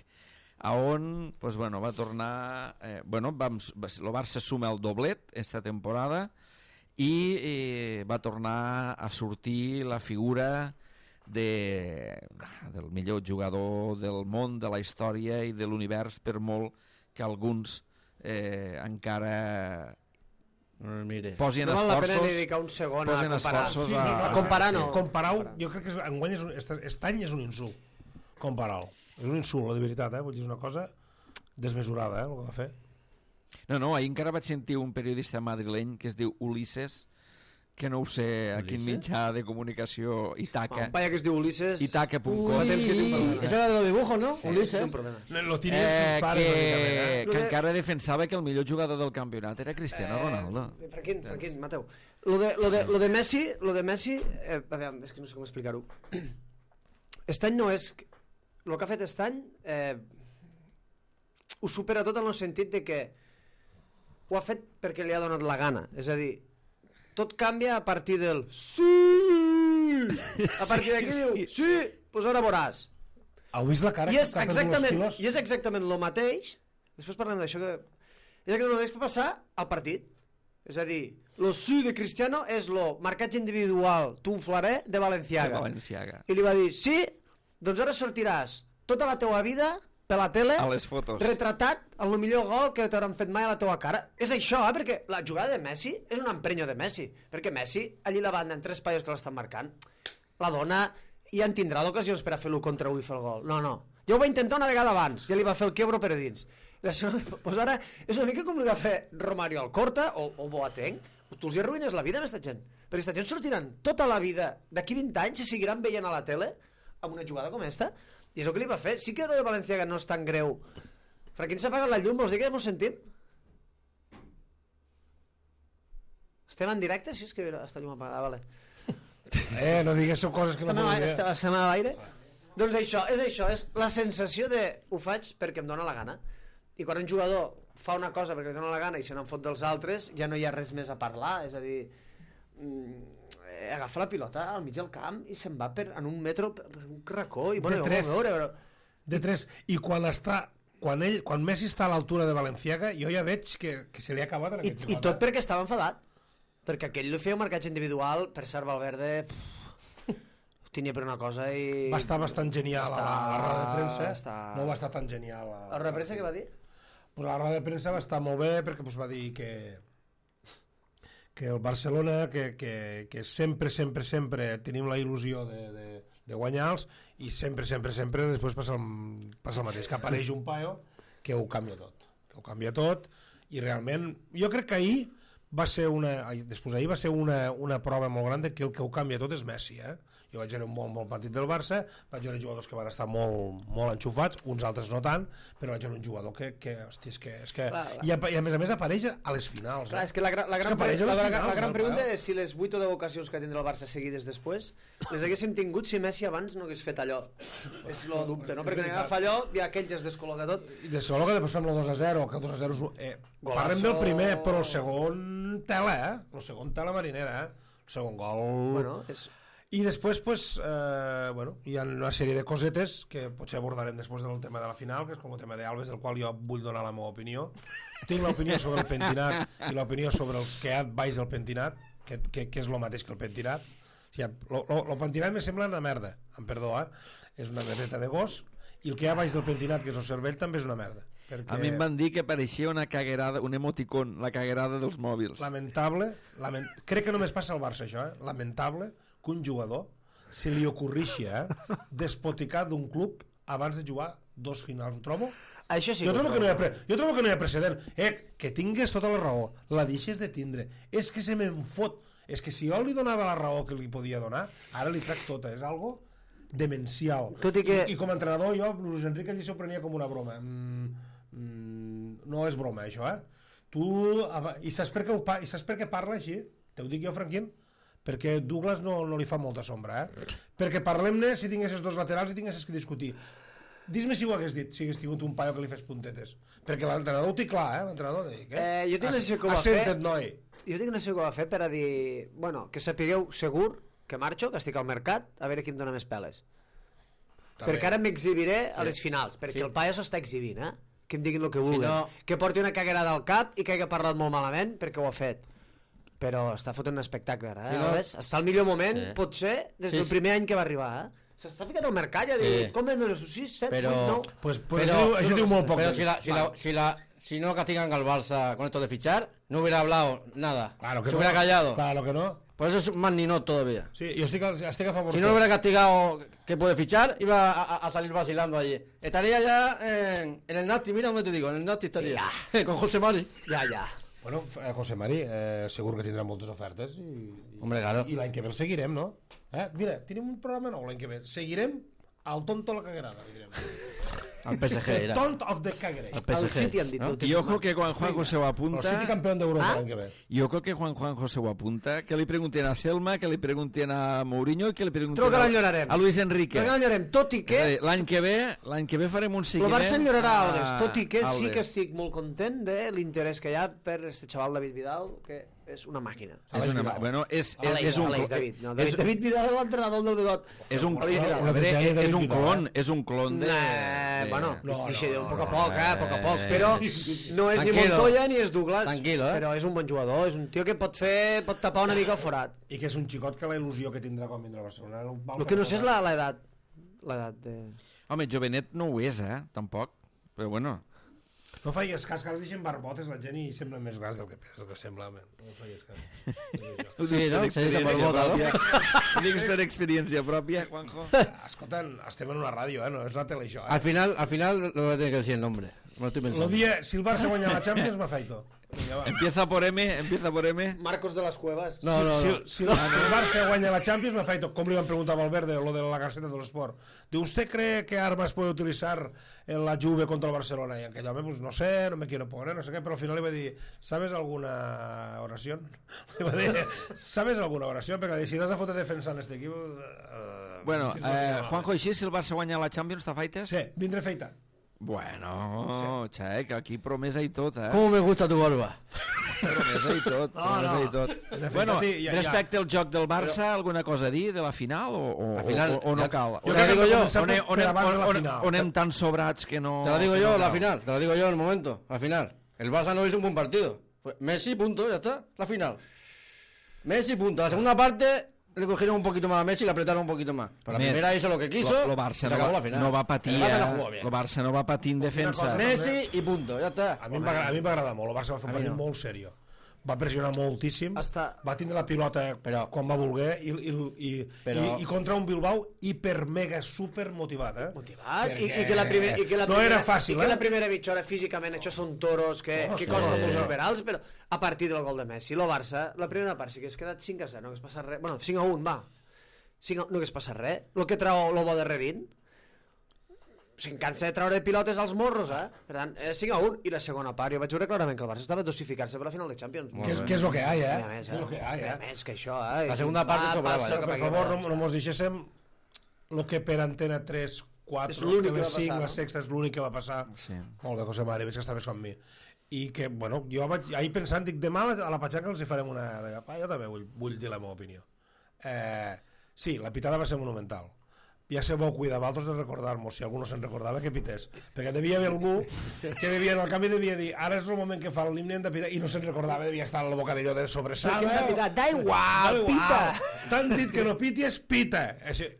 a on pues, bueno, va tornar... Eh, bueno, vam, el Barça suma el doblet esta temporada i eh, va tornar a sortir la figura de, del millor jugador del món, de la història i de l'univers, per molt que alguns eh, encara Mire. posin No val la esforços, pena dedicar un segon a posin comparar. esforços Sí, a, a comparar no. Comparar-ho, jo crec que és, enguany és un, est, est any és un insult. Comparar-ho. És un insult, de veritat, eh? Vull dir, és una cosa desmesurada, eh, el que va fer. No, no, ahir encara vaig sentir un periodista madrileny que es diu Ulises, que no ho sé a quin mitjà de comunicació, Itaca, Un paia que es diu Ulises... itaca punt com, Fa temps que té un problema. Eso era de los dibujos, ¿no? Sí, Ulises. té un problema. No, lo tirien eh, sus pares, que, bàsicament, eh? que encara defensava que el millor jugador del campionat era Cristiano Ronaldo. Eh, Franquín, Franquín, Mateu. Lo de, lo de, lo de Messi, lo de Messi eh, a veure, és que no sé com explicar-ho. Estany no és... El que ha fet Estany eh, ho supera tot en el sentit de que ho ha fet perquè li ha donat la gana. És a dir, tot canvia a partir del sí! A partir d'aquí diu sí, doncs ara veuràs. Heu vist la cara? I és que està perdent exactament, els quilos? i és exactament el mateix, després parlem d'això, que és exactament el mateix que passar al partit. És a dir, lo sí de Cristiano és lo marcatge individual tunflaré de Valenciaga. De Valenciaga. I li va dir, sí, doncs ara sortiràs tota la teua vida per la tele A les fotos. retratat en el millor gol que t'hauran fet mai a la teua cara. És això, eh? Perquè la jugada de Messi és un emprenyo de Messi, perquè Messi, allí a la banda, en tres paios que l'estan marcant, la dona ja en tindrà d'ocasions per a fer l'u contra u i fer el gol. No, no. Ja ho va intentar una vegada abans, ja li va fer el quebro per a dins. Doncs ara és una mica com li va fer Romario Alcorta o, o Boateng. Tu els hi arruïnes la vida amb aquesta gent. Perquè aquesta gent sortiran tota la vida, d'aquí vint anys, i seguiran veient a la tele amb una jugada com esta. I és el que li va fer. Sí que lo de Valenciaga no és tan greu. Franquín s'ha apagat la llum, vols dir que mos sentim? Estem en directe? Sí, és que està llum apagada, vale. Eh, no diguéssiu coses que no Estem a podeu l'aire, dir. estem, estem a l'aire. Doncs això, és això, és la sensació de ho faig perquè em dóna la gana. I quan un jugador fa una cosa perquè li dóna la gana i se n'en fot dels altres, ja no hi ha res més a parlar, és a dir, mm, agafa la pilota al mig del camp i se'n va per, en un metro per un racó i bueno, De ja ho tres. vam veure, però... De tres. I quan està... Quan, ell, quan Messi està a l'altura de Valenciaga, jo ja veig que, que se li ha acabat en I, aquest I jugador. tot perquè estava enfadat. Perquè aquell li feia un marcatge individual, per cert, Valverde pff, ho tenia per una cosa i... Va estar bastant genial Va estar- a, la, a la roda de premsa. està- No va estar tan genial. A, La roda de premsa què va dir? Pues la roda de premsa va estar molt bé perquè pues, va dir que que el Barcelona, que, que, que sempre, sempre, sempre tenim la il·lusió de, de, de guanyar-los i sempre, sempre, sempre després passa el, passa el mateix, que apareix un paio que ho canvia tot, que ho canvia tot i realment, jo crec que ahir va ser una, ai, després ahir va ser una, una prova molt gran de que el que ho canvia tot és Messi, eh? Jo vaig veure un bon, bon partit del Barça, vaig veure jugadors que van estar molt, molt enxufats, uns altres no tant, però vaig veure un jugador que, que hòstia, és que... És que Clar, i, a, I a més a més apareix a les finals. Clar, Eh? és que la, gra- la És gran, que apareix a la, les la, finals, la gran el pregunta paio. és si les vuit o deu ocasions que tindrà el Barça seguides després les haguéssim tingut si Messi abans no hagués fet allò. És el dubte, no? Perquè quan agafa allò i aquell ja es descol·loca tot. I de segon que després fem el dos a zero, que el dos a zero és... un- Eh, Golazo. parlem del primer, però el segon tela, eh? El segon tela marinera, eh? El segon gol... Bueno, és... I després, pues, eh, bueno, hi ha una sèrie de cosetes que potser abordarem després del tema de la final, que és com el tema d'Alves, del qual jo vull donar la meva opinió. Tinc l'opinió sobre el pentinat i l'opinió sobre els que hi ha baix del pentinat, que, que, que és el mateix que el pentinat. O sigui, el pentinat me sembla una merda, amb perdó, eh? És una merdeta de gos, i el que hi ha baix del pentinat, que és el cervell, també és una merda. Perquè... A mi em van dir que pareixia una caguerada, un emoticon, la caguerada dels mòbils. Lamentable, lament... crec que només passa al Barça això, eh? Lamentable que un jugador se li ocorrixi eh? despoticar d'un club abans de jugar dos finals, ho trobo? Això sí jo, que trobo que no hi ha pre... jo trobo que no hi ha precedent. Eh, que tingues tota la raó, la deixes de tindre. És que se me'n fot. És que si jo li donava la raó que li podia donar, ara li trac tota. És algo demencial. Tot i que... I, i com a entrenador jo, Luis Enrique, allí s'ho prenia com una broma. Mm, mm, no és broma, això, eh? Tu... I saps per què, ho pa... I saps per què parla així? Te ho dic jo, Franquín? Perquè Douglas no, no li fa molta sombra, eh? Perquè parlem-ne si tinguessis dos laterals i tinguessis que discutir. Dis-me si ho hagués dit, si hagués tingut un paio que li fes puntetes. Perquè l'entrenador ho té clar, eh? L'entrenador dic, eh? eh jo tinc una que ho va Assenta't, fer... noi. Jo tinc una que ho va fer per a dir... Bueno, que sapigueu segur que marxo, que estic al mercat, a veure qui em dona més peles. També. Perquè ara m'exhibiré a les Sí. finals, perquè Sí. el paio s'està exhibint, eh? Que em diguin el que vulguin. no- Que porti una caguerada al cap i que hagi parlat molt malament perquè ho ha fet. Però està fotent un espectacle ara, eh? Si no- Alves? Està al millor moment, Sí. potser, des Sí, del sí. primer any que va arribar, eh? S'està ficat al mercat i ha dit, Sí. com em dones sis, set, Pero- vuit, nou... Pues, pues Pero, això, diu- això diu molt poc. pero si, la, si, la, si, la, si no castigan al Barça con esto de fichar, no hubiera hablado nada. Claro que Se no. hubiera callado. Claro que no. Por eso es más ninot todavía. Sí, jo estic, a- estic a favor. Si no lo hubiera castigado que puede fichar, iba a, a- a salir vacilando allí. Estaría ya en, en el Nasti, mira donde te digo, en el Nasti estaría. Con José Mari. Ja, ja. Bueno, eh, José Mari, eh, segur que tindrà moltes ofertes i, i, Hombre, claro. i l'any que ve el seguirem, no? Eh? Mira, tenim un programa nou l'any que ve. Seguirem al tonto la caguerada, li direm. Al P S G The era. Tont of the Caguere. Al P S Al G. City han dit, ¿no? no? I ojo que quan Juanjo se ho El apunta... City campeón d'Europa Ah? l'any que ve. I ojo que quan Juanjo se ho apunta, que li pregunten a Selma, que li pregunten a Mourinho i que li pregunten Trobo que a, l'enyorarem. a Luis Enrique. Perquè l'enyorarem, tot i És a que... dir, L'any que ve l'any que ve farem un El seguiment... Barça enyorarà a Alves, tot i que sí Alves. que estic molt content de l'interès que hi ha per este xaval David Vidal, que és una màquina. És Aleix una, Vidal. bueno, és, és, Aleix, és un... Aleix, clo- David, no, és, David, David Vidal és l'entrenador del Negot. és un, Aleix Vidal. a veure, David és, és un Vidal, clon, eh? és un clon de... Eh, de- bueno, No, no, no, no, no, un poc a no, poc, eh, a poc a poc, eh, però no és ni Tranquilo. Montoya ni és Douglas, Tranquilo, eh. però és un bon jugador, és un tio que pot fer, pot tapar una mica el forat. I que és un xicot que la il·lusió que tindrà quan vindrà a Barcelona... El que no sé és la- l'edat, l'edat de... Home, jovenet no ho és, eh, tampoc. Però bueno, No faigues cas, que ara es deixen barbotes la gent i semblen més grans del que, del que sembla. Man. No faigues cas. ho Sí, dius no? per Se deixa experiència per bota, no? pròpia. Ho dius per experiència pròpia, Juanjo. Escolta, estem en una ràdio, eh? No és una tele, això. Al Eh? final, al final lo voy a tener que decir el nombre. Me lo estoy Lo pensando. dia, si el Barça guanya la Champions, m'afaito. Vinga, va. Empieza por M, empieza por M. Marcos de las Cuevas. No, no, si, no. Si, si, el, si el Barça guanya la Champions, m'afaito. Com li van preguntar a Valverde, lo de la Gaceta del Sport. Diu, ¿usted cree que armas puede utilizar en la Juve contra el Barcelona? Y aquell home, pues no sé, no me quiero poner, no sé qué, pero al final le va a dir, ¿sabes alguna oración? Le va a dir, ¿sabes alguna oración? Perquè si t'has de fotre defensant este equip... Uh, Bueno, eh, Juanjo, així, si el Barça guanya la Champions, t'afaites? Sí, vindré feita. Bueno, xec, aquí promesa i tot, eh? ¿Cómo me gusta tu barba? Promesa i tot, No, promesa no. i tot. De fet, Bueno, Tati, ja- ja. respecte al joc del Barça, alguna cosa a dir de la final o, o, La final, o, o no ja- cal? Jo Te la crec que digo hem de yo. començar On, per, on, per on, abans de la on, final. on anem tan sobrats que no... Te lo digo que yo, no la cal. final. Te lo digo yo en el momento. La final. El Barça no hizo un buen partido. Fue Messi, punto, ya está. La final. Messi, punto. La segunda parte le cogieron un poquito más a Messi y le apretaron un poquito más. Pero la Mer, primera hizo lo que quiso. Lo, lo y Barça se no acabó va, la final. no va patir, El Barça eh? no jugó bien. Lo Barça no va patir en defensa. cosa- Messi y punto, ya está. A mi em va, agra- a mi em va agradar molt, el Barça va fer un A mi partit no. molt seriós. Va pressionar moltíssim, Hasta- va tindre la pilota Però- quan va voler i, i, i, Però- i, i contra un Bilbao hiper mega super motivat, eh? Motivat, i, Perquè i, que la primer, i que la no primera, era fàcil, i que eh? la primera mitja hora físicament això són toros que, No, que sí, costen sí, molt sí. superals, però a partir del gol de Messi, el Barça, la primera part sí que es quedat cinc a zero, no hagués passat res, bueno, cinc a un, va, cinc a, no hagués passat res, el que trau el bo de Rebin, se'n cansa de treure pilotes als morros, eh? Per tant, eh, cinc a un, i la segona part, jo vaig veure clarament que el Barça estava dosificant-se per la final de Champions. Que és, que és el que hi ha, eh? Mira més, Que és el que hi ha, Mira eh? més que això, eh? La segunda part Va, sobrava, passa eh? cap Per aquí, favor, va. no, no mos deixéssim el que per Antena tres, És quatre, l'únic que Tele va cinc, passar, la no? sexta és l'únic que va passar. Sí. Molt bé, José Mari, veig que està més com mi. I que, bueno, jo vaig ahir pensant, dic, demà a la Patxanca els hi farem una... De, pa, jo també vull, vull dir la meva opinió. Eh, Sí, la pitada va ser monumental. Ja se vau cuidar vosaltres de recordar-nos, si algú no se'n recordava, que pités. Perquè devia haver algú que devia, al canvi devia dir, ara és el moment que fa l'himne hem de pitar, i no se'n recordava, devia estar al bocadillo de sobressada. Da igual, pita! T'han dit que no pities, pita!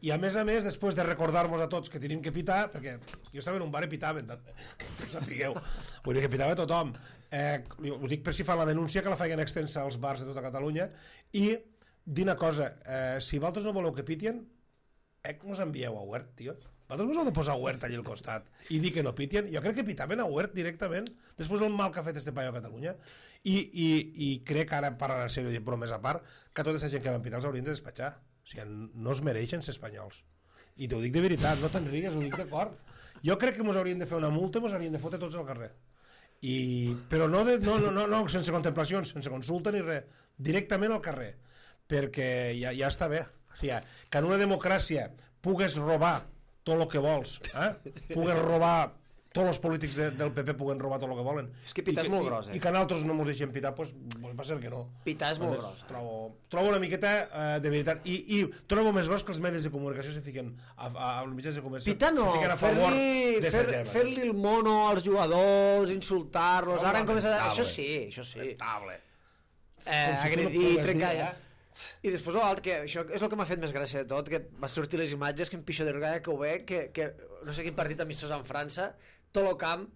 I a més a més, després de recordar-nos a tots que tenim que pitar, perquè jo estava en un bar i pitaven, que ho sapigueu, vull dir que pitava tothom. Eh, ho dic per si fa la denúncia, que la feien extensa als bars de tota Catalunya, i dir una cosa, eh, si vosaltres no voleu que pitien, eh, que mos envieu a Huert, tio. Vosaltres mos heu de posar Huert allà al costat i dir que no pitien. Jo crec que pitaven a Huert directament, després del mal que ha fet este paio a Catalunya, i, i, i crec que ara, parlant en sèrio, però més a part, que tota aquesta gent que van pitar els haurien de despatxar. O sigui, no es mereixen ser espanyols. I t'ho dic de veritat, no te'n rigues, ho dic d'acord. Jo crec que mos haurien de fer una multa i mos haurien de fotre tots al carrer. I, però no, de, no, no, no, no sense contemplacions, sense consulta ni res, directament al carrer, perquè ja, ja està bé. O sigui, que en una democràcia pugues robar tot el que vols, eh? Pugues robar, tots els polítics de, del P P puguen robar tot el que volen. És que pitar és molt gros, eh? I, i que nosaltres no ens deixem pitar, doncs pues, va ser que no. Pitar és molt gros. Trobo, trobo una miqueta eh, de veritat. I, I trobo més gros que els medis de comunicació se fiquen a, a, als mitjans de comunicació. Pitar no, fer-li fer, fer el mono als jugadors, insultar-los, ara han començat a... Això sí, això sí. Lamentable. Eh, agredir, trencar... Ja. I després l'altre, que això és el que m'ha fet més gràcia de tot, que va sortir les imatges que en Pixo de Rugada que ho ve, que, que no sé quin partit amistós en França, tot el camp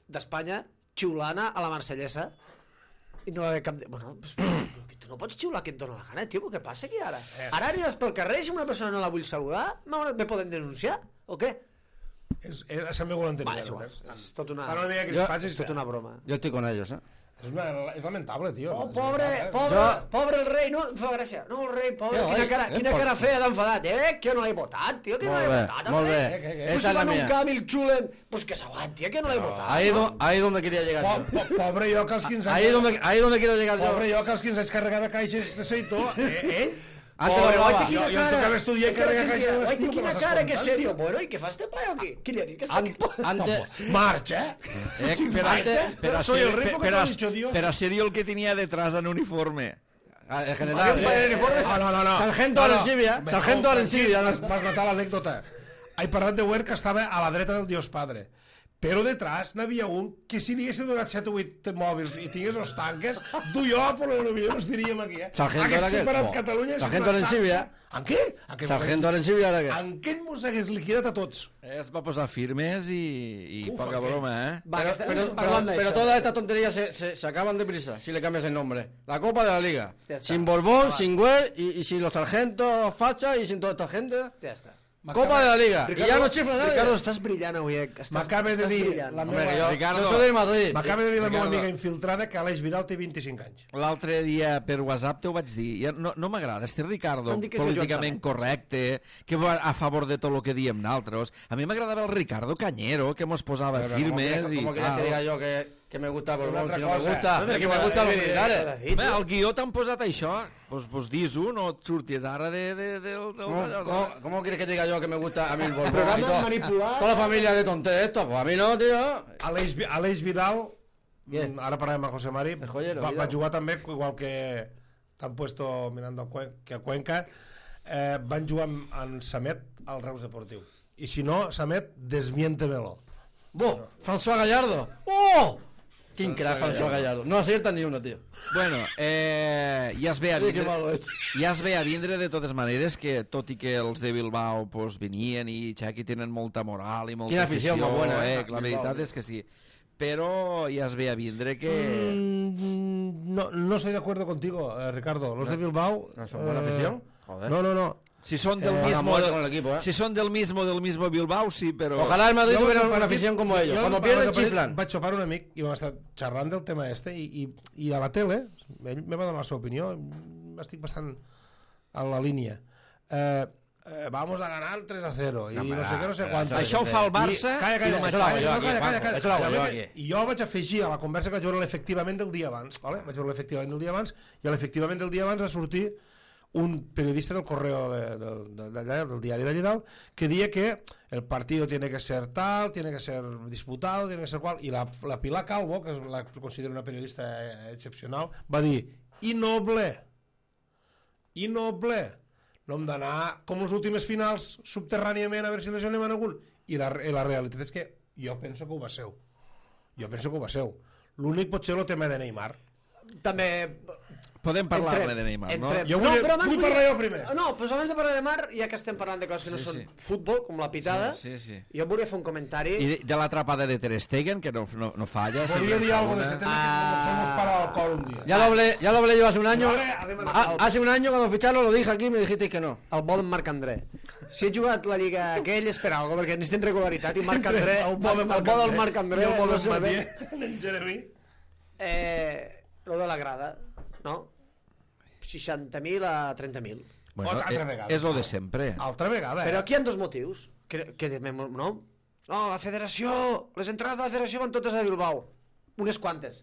d'Espanya xiulana a la marsellesa i no va haver cap... De... Bueno, pues, però que tu no pots xiular que et dóna la gana, tio, què passa aquí ara? Ara aniràs pel carrer i si una persona no la vull saludar, me poden denunciar o què? És, és, se'm vol entenir. Vale, és igual, és tot una, una jo, és tot una broma. Jo estic con ellos, eh? És, una, és lamentable, tio. Oh, pobre, pobre, jo... pobre el rei, no? Em fa gràcia. No, el rei, pobre, jo, quina cara, quina cara feia d'enfadat. Eh, que no l'he votat, tio, que no l'he votat. Molt bé, molt bé. Pues si van un camp i el xulen, pues que s'aguanti, que no l'he votat. Ahí, do, ahí donde quería llegar yo. Po, pobre jo que als quinze anys... Ahí donde, ahí donde quiero llegar yo. Pobre jo que als quinze anys carregava caixes de seitó. Eh, ell? Antes lo robaba. Jo, jo em tocava estudiar i carregar caixes de l'estiu. Quina cara, que serio. Bueno, i què fa este paio aquí? Qui li ha dit que està aquí? Antes... Marxa, eh? Pero antes... Pero soy el rey porque te lo he dicho, Dios. Pero serio el que tenía detrás en uniforme. En general... No, no, no, no. Sargento Arencibia. Sargento Arencibia. Vas notar l'anècdota. He parlat de Huert que estava a la dreta del Dios Padre. Però detrás n'havia un que si li haguessin donat set o vuit mòbils i tingués els tanques, du jo, però potser no estaríem aquí, eh? Hagués separat Catalunya... Sargento Arencibia. En què? Sargento Arencibia, ara què? En què mos hagués liquidat a tots? Es va posar firmes i, i poca broma, eh? Pero, pero, pero, pero todas estas tonterías se, se, se acaban deprisa si le cambias el nombre. La Copa de la Liga. Sin Borbón, sin Güell y, y sin los sargentos Facha y sin toda esta gente. Ya está. Copa de la Liga. Ricardo, y ya no chifla nadie. Ricardo, estàs brillant avui. M'acabes de dir... La meva, jo, Ricardo, soy de Madrid. M'acaba de dir la meva amiga infiltrada que Aleix Vidal té vint-i-cinc anys. L'altre dia per WhatsApp t'ho vaig dir. Ja no, no m'agrada este Ricardo políticament correcte, que va a favor de tot el que diem nosaltres. A mi m'agradava el Ricardo Cañero, que mos posava pero firmes. ¿Cómo quieres que diga yo que... que me gusta Borbón, si no me gusta, no, que me gusta los militares. Bé, el guió t'han posat això, pues, pues dis-ho, no et surtis ara de... de, de, de ¿Cómo, ¿cómo, ¿Cómo quieres que diga yo que me gusta a mí el Borbón? Programa manipulat. Toda la familia de tonté esto, pues a mí no, tío. Aleix, Aleix Vidal, Bien. Ara parlem amb José Mari, joyero, va, va jugar també, igual que t'han puesto mirando a Cuenca, que a Cuenca, eh, van jugar amb, amb Samet al Reus Deportiu. I si no, Samet, desmiéntemelo. Bo, François Gallardo. ¡Oh! Quin crack, François Gallardo. No acierta ni una, tío. Bueno, eh, ja es ve a vindre, ja es ve a vindre de totes maneres que, tot i que els de Bilbao pues, venien i Xaqui tenen molta moral i molta Quina afició, afició, buena, eh? eh? La veritat és que sí. Però ja es ve a vindre que... Mm, no, no estoy de acuerdo contigo, eh, Ricardo. Los no, de Bilbao... ¿No son buena afición? Joder. No, no, no. Si son del eh, mismo del, con el equipo, ¿eh? Si son del mismo del mismo Bilbao, sí, pero... Ojalá el Madrid tuviera una afición como ellos. Cuando pierden, chiflan. Vaig xopar un amic i vam estar xerrant del tema este i, i, i a la tele, ell me va donar la seva opinió, estic bastant a la línia. Eh, eh, vamos a ganar tres a cero i no, no sé què, no sé quant. Això ho fa el Barça i, calla, calla, i calla, calla, calla, calla, calla, calla, calla. I jo vaig afegir a la conversa que vaig veure l'efectivament del dia abans, vale? Vaig veure l'efectivament del dia abans i a l'efectivament del dia abans va sortir un periodista del correo de, de, de, de, de, del diari d'allà dalt que dia que el partido tiene que ser tal, tiene que ser disputado, tiene que ser qual, i la, la Pilar Calvo, que la considero una periodista excepcional, va dir, innoble, innoble, no hem d'anar com les últimes finals subterràniament a veure si lesionem en algun. I la, i la realitat és que jo penso que ho va ser. Jo penso que ho va ser. L'únic pot ser el tema de Neymar. També... Podem parlar-ne de Neymar, no? Jo vull, no, vull parlar jo primer. No, però abans de parlar de Neymar, ja que estem parlant de coses que no Sí, són sí. futbol, com la pitada, Sí, sí, sí. jo volia fer un comentari... I de, de l'atrapada de Ter Stegen, que no, no, no falla. Volia sempre dir fa algo de una. ese tema que comencemos para el cor un día. Ya lo hablé, ya lo hablé yo hace un año. Vale, además- Ha- hace un año cuando ficharon lo dije aquí y me dijisteis que no. El bo d'en Marc André. Si he jugat la Lliga aquell és per alguna cosa, perquè necessitem regularitat, i Marc André... El bo de Marc el bo del André Marc André... i el bo no d'en sé bé. Mathieu, en Jeremy. Eh, lo de la grada, no? seixanta mil a trenta mil. Bueno, Altra eh, vegada. és lo de sempre. Altra vegada, eh? Però aquí hi ha dos motius. Que, que, no? No, la federació... Les entrades de la federació van totes a Bilbao. Unes quantes.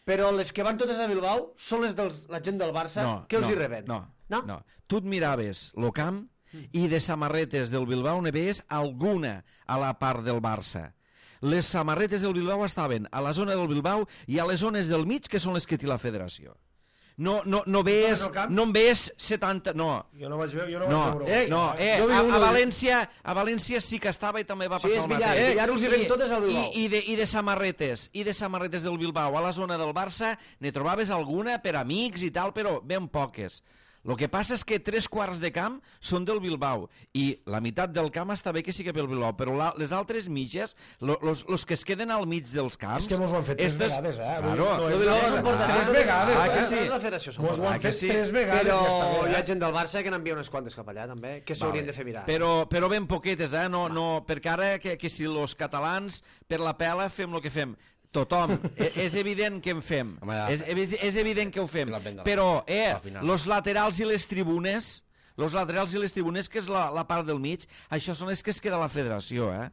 Però les que van totes a Bilbao són les de la gent del Barça No, que els no, hi reben. No, no? no. Tu et miraves lo camp i de samarretes del Bilbao ne veies alguna a la part del Barça. Les samarretes del Bilbao estaven a la zona del Bilbao i a les zones del mig, que són les que té la federació. No, no, no veies, al camp? no en veies setanta... No, Jo no vaig veure, jo no, no, vaig veure. Eh, no, eh, jo vi a, uno a, de- València, a València sí que estava i també va Sí, passar és el Villar, mateix. eh, Villar us hi ven I- totes al Bilbao. I, i, de, I de samarretes, i de samarretes del Bilbao a la zona del Barça ne trobaves alguna per amics i tal, però ben poques. El que passa és que tres quarts de camp són del Bilbao i la meitat del camp està bé que sigui pel Bilbao, però la, les altres mitges, lo, los, los que es queden al mig dels camps... És que mos ho han fet tres estes- vegades, eh? Claro. No, Lo és de una Bilbao cosa. són portes- Tres vegades, Ah, que eh? sí. La federació són Mos ho portes- han Ah, que fet sí. tres vegades, Però ja està hi bé, ha eh? gent del Barça que n'envia unes quantes cap allà, també, que s'haurien de fer mirar. Però, però ben poquetes, eh? No, no, perquè ara que, que si els catalans per la pela fem el que fem. Tothom. E- és evident que en fem. Home, ja. És, és, és evident que ho fem. Que la venda, Però, eh, al final. los laterals i les tribunes, los laterals i les tribunes, que és la, la part del mig, això són les que es queda a la federació, eh?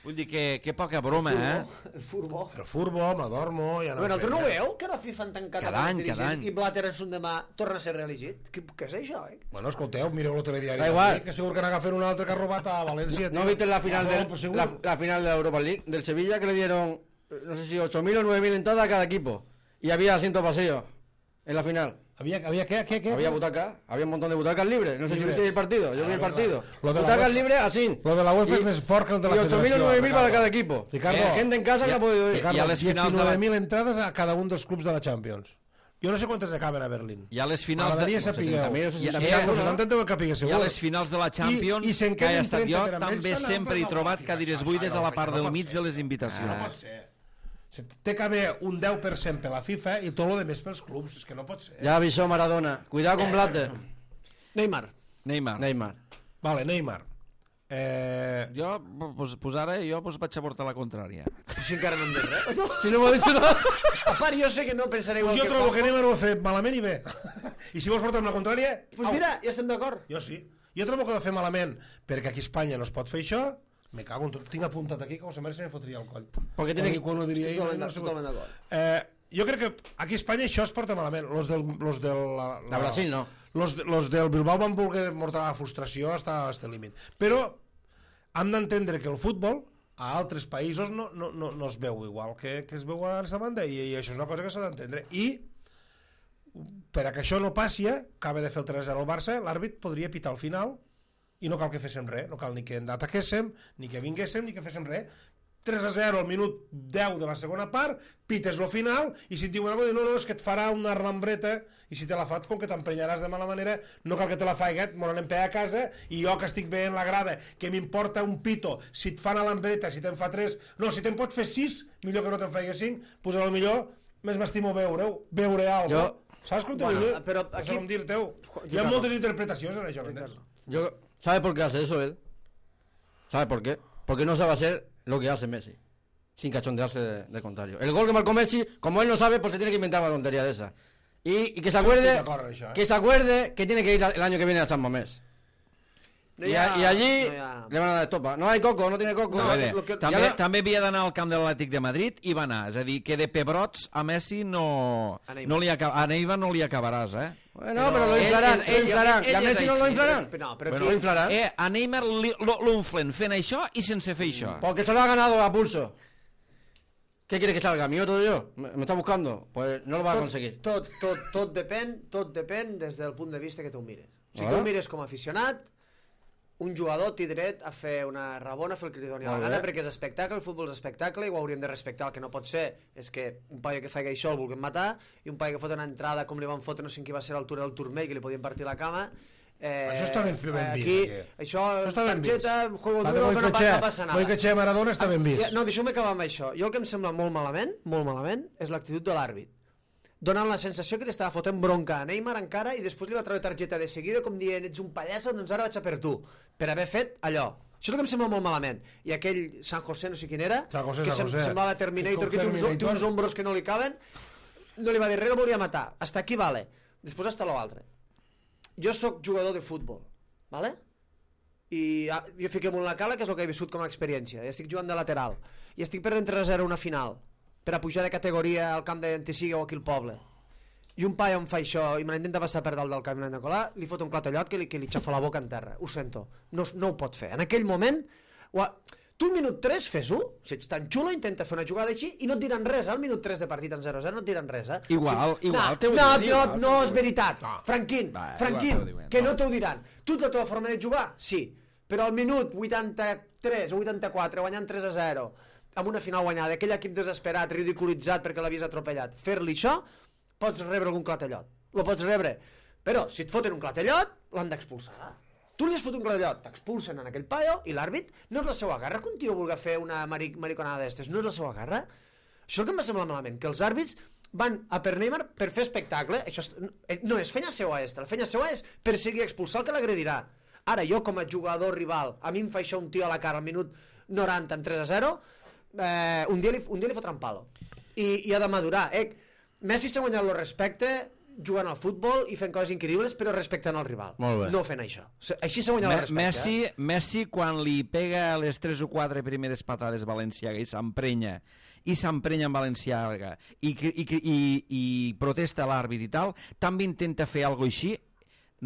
Vull dir que, que poca broma, eh? El furbo. El furbo, m'adormo... Ja no Bueno, em tu no ho feia. veu, que la FIFA han tancat Cada amb any, el cada dirigent any. i Blatter en son demà torna a ser reelegit? Què, què és això, eh? Bueno, escolteu, mireu el telediari. Da igual. d'avui, Que segur que n'agafen un altre que ha robat a València. ¿No tio. viste la final, Ah, del, no, pues segur. la, la final de la Europa League del Sevilla que le dieron, eh, no sé si ocho mil o nueve mil entradas a cada equipo? Y había asientos vacíos en la final. Había, había ¿qué, qué, qué? Había butacas, había un montón de butacas libres. No sé si Libre. viste el partido, yo Ah, vi el verdad. partido. Lo de la Butacas UEFA- libres así. Lo de la UEFA Y- es más fort que el de la y ocho mil o Federació, nueve mil para Ricardo. cada equipo. Ricardo, Eh, gente en casa ya- no ha podido ir. Ricardo, I a les finals de la- diecinueve mil entrades a cada un dels clubs de la Champions. Jo no sé quantes acaben a Berlín. I a les finals de... M'agradaria saber. setenta mil o seixanta mil, Ja, no? setanta deu capigues, I segur. a les finals de la Champions, I- i se'n que he queden estat jo, trenta, però amb ells també estan sempre he altres trobat a la cadires FIFA. buides a la Això part no del pot mig ser. de les invitacions. No pot ser. Se- Té que haver un deu per cent per la FIFA i tot el més pels clubs. És que no pot ser. Ya avisó Maradona. Cuidado con Blatter. Neymar. Neymar. Neymar. Vale, Neymar. Eh, Jo, pues, pues ara jo pues, vaig a portar la contrària. Però si encara no hem dit res. Si no hemos dicho nada. A part, jo sé que no pensaré igual pues jo que trobo que Juanjo. Neymar ho ha fet malament i bé. I si vols portar amb la contrària... Pues au. mira, ja estem d'acord. Jo sí. Jo trobo que ho ha fet malament perquè aquí a Espanya no es pot fer això. Me cago en tot. Tinc apuntat aquí que com sempre se me fotria el coll. Perquè tiene que- Quan ho diria Estic ell, totalment no sé totalment com. d'acord. Eh, jo crec que aquí a Espanya això es porta malament. Los del, los del, la, A Brasil no. Los, de- los del Bilbao van voler mortar la frustració fins a este límit. Però hem d'entendre que el futbol a altres països no, no, no, no es veu igual que, que es veu a aquesta banda i, i això és una cosa que s'ha d'entendre. I per a que això no passi, acaba de fer el tres a zero al Barça, l'àrbit podria pitar al final i no cal que féssim res, no cal ni que ataquéssim, ni que vinguéssim, ni que féssim res. tres a zero al minut deu de la segona part, pites lo final, i si et diuen alguna cosa, no, no, és que et farà una rambreta, i si te la fat, com que t'emprenyaràs de mala manera, no cal que te la faiguet, me l'anem a casa, i jo que estic bé en la grada, que m'importa un pito, si et fan a l'ambreta, si te'n fa tres, no, si te'n pot fer sis, millor que no te'n faigues cinc, doncs a lo millor més m'estimo veure-ho, veure alguna cosa. Jo- Saps com te Bueno, vull dir? però No sé aquí- com dir-te-ho. Hi ha Ricardo. moltes interpretacions en això, m'entens? Yo, ¿sabe por qué hace eso él? ¿Sabe por qué? Porque no sabe hacer lo que hace Messi, sin cachondearse de, de contrario. El gol que marcó Messi, como él no sabe, pues se tiene que inventar una tontería de esa. Y, y que se acuerde, Estoy de acuerdo en eso, ¿eh? que se acuerde que tiene que ir el año que viene a San Mamés. No y, hi ha- a- y allí no hi ha- le van a dar estopa. No hay coco, no tiene coco. No, No, a veure, lo que- també, ja no- també havia d'anar al camp de l'Atlètic de Madrid i va anar. És a dir, que de pebrots a Messi no, A Neymar. no li acab a Neymar no li acabaràs, eh? Bueno, pero lo Ell- inflarán, ell- lo inflarán. ell- ¿Y a ell Messi és no lo així. inflarán? No, però Bueno, aquí- lo inflarán. Eh, a Neymar li- lo- l'unflen fent això i sense fer això. Porque se lo ha ganado a pulso. ¿Qué quiere que salga? ¿Mi otro yo? ¿Me, me está buscando? Pues no lo va a conseguir. Tot, tot, tot depèn, tot depèn des del punt de vista que tu ho mires. Si tu el mires com a aficionat, un jugador té dret a fer una rabona, a fer el que li doni la gana, perquè és espectacle, el futbol és espectacle, i ho hauríem de respectar. El que no pot ser és que un paio que faci això el vulguem matar, i un paio que fot una entrada com li van fotre, no sé qui va ser a l'altura del turmell, que li podien partir la cama. Eh, això està ben, ben vist, aquí, aquí. Això, això està ben targeta, vist. juego duro, que no, no passa nada. Boicotxea Maradona està ben vist. No, deixeu-me acabar amb això. Jo el que em sembla molt malament, molt malament, és l'actitud de l'àrbit. Donant la sensació que li estava fotent bronca a Neymar encara, i després li va treure targeta de seguida com dient, ets un pallasso, doncs ara vaig a per tu, per haver fet allò. Això és el que em sembla molt malament. I aquell San José, no sé quin era, José, que sem semblava Terminator, que té uns, té uns ombros que no li caben, no li va dir res, el volia matar. Hasta aquí vale. Després hasta l'altre. Jo sóc jugador de futbol, vale? I jo fiquem en la cala, que és el que he viscut com a experiència. I estic jugant de lateral. I estic perdent tres a zero una final, per a pujar de categoria al camp d'Antesiga o aquí al poble. I un paio em fa això i me l'intenta passar per dalt del camp de colar, li fot un clatellot que li, que li xafa la boca en terra. Ho sento, no, no ho pot fer. En aquell moment, ha... tu al minut tres fes-ho, si ets tan xulo intenta fer una jugada així i no et diran res, al minut tres de partit en zero a zero no et diran res, eh? Igual, sí. igual, no, no, no, no és veritat, no. Franquín, Va, Franquín, igual, que no. no t'ho diran. Tu la teva forma de jugar, sí, però al minut vuitanta-tres o vuitanta-quatre guanyant tres a zero, amb una final guanyada, aquell equip desesperat, ridiculitzat perquè l'havies atropellat, fer-li això, pots rebre algun clatellot, lo pots rebre, però si et foten un clatellot, l'han d'expulsar. Tu li has fot un clatellot, t'expulsen en aquell paio, i l'àrbit no és la seva garra que un tio vulgui fer una maric mariconada d'estes, no és la seva garra. Això és el que em va semblar malament, que els àrbits van a per Neymar per fer espectacle, això no és fenya seua esta, la fenya seua és perseguir i expulsar el que l'agredirà. Ara jo com a jugador rival, a mi em fa això un tio a la cara al minut noranta amb tres a zero, eh, un, dia li, un dia li fotran palo i, i ha de madurar. eh? Messi s'ha guanyat el respecte jugant al futbol i fent coses increïbles, però respectant el rival, no fent això. Així s'ha guanyat el respecte. Messi, eh? Messi quan li pega les tres o quatre primeres patades Valenciaga i s'emprenya i s'emprenya en Valenciaga i, i, i, i protesta l'àrbit i tal, també intenta fer alguna cosa així,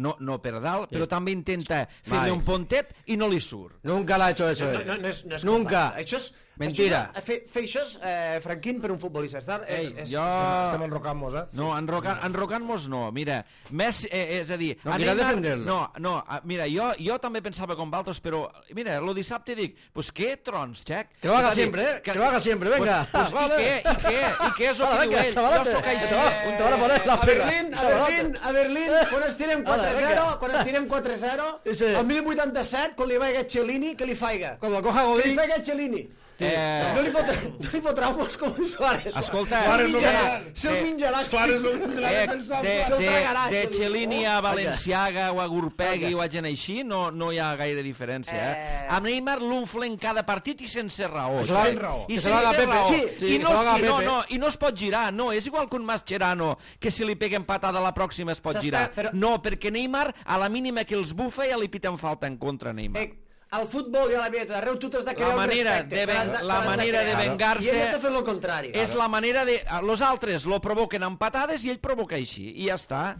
no, no per dalt, sí. Però també intenta fer-li un pontet i no li surt. Nunca l'ha hecho eso. No, no, no és, no és Nunca. Això és, mentira. Això és, fer, fer això és, eh, Franquín, per un futbolista. Estar, és, Ei, és, jo... Estem enrocant-nos, eh? No, enrocant, enrocant-nos no. Mira, Messi, eh, és a dir... No, a mira Neymar, defender-lo. no, no, a, mira, jo, jo també pensava com Valtos, però, mira, lo dissabte dic, pues què trons, Xec? Que lo haga És a dir, siempre, eh? Que lo haga siempre, venga. Pues, pues, Vale. I què? I què? I què és el Vale, que diu venga, ell? chavalate. Jo sóc així. Eh, un te van a poner la a pega. Berlín, a Chavalate. Berlín, a Berlín, quan es tirem quatre a zero, quan es tirem quatre a zero, Sí. al mil vuitanta-set, quan li vaiga Cellini, que li faiga. Cuando coja Que li Godín, faiga Cellini. Eh, No li fotrà, no li fotrà molts com un Suárez. Escolta, Se'l Suárez menjarà, no- se'l eh, menjarà. Suárez no tindrà de, defensa. de, Se'l de, tragarà, de això, Cellini diu. a Valenciaga o a Gurpegui Vaja. o a gent així no, no hi ha gaire diferència. Eh? Eh. A Neymar l'unflen cada partit i sense raó. Això va- I raó. que se sense va a la Pepe. raó. Sí, sí, I, que no, se va a la sí, no, Pepe. no, I no es pot girar, no. És igual que un Mascherano, que si li peguen patada la pròxima es pot S'està- girar. però- No, perquè Neymar, a la mínima que els bufa, ja li piten falta en contra a Neymar. Eh, al futbol i a la vida, arreu tu t'has de crear La un manera respecte. de, te l'has ven- te la l'has manera de crear. vengar-se I ell està fent el contrari. és la manera de... Los altres lo provoquen amb patades i ell provoca així, i ja està.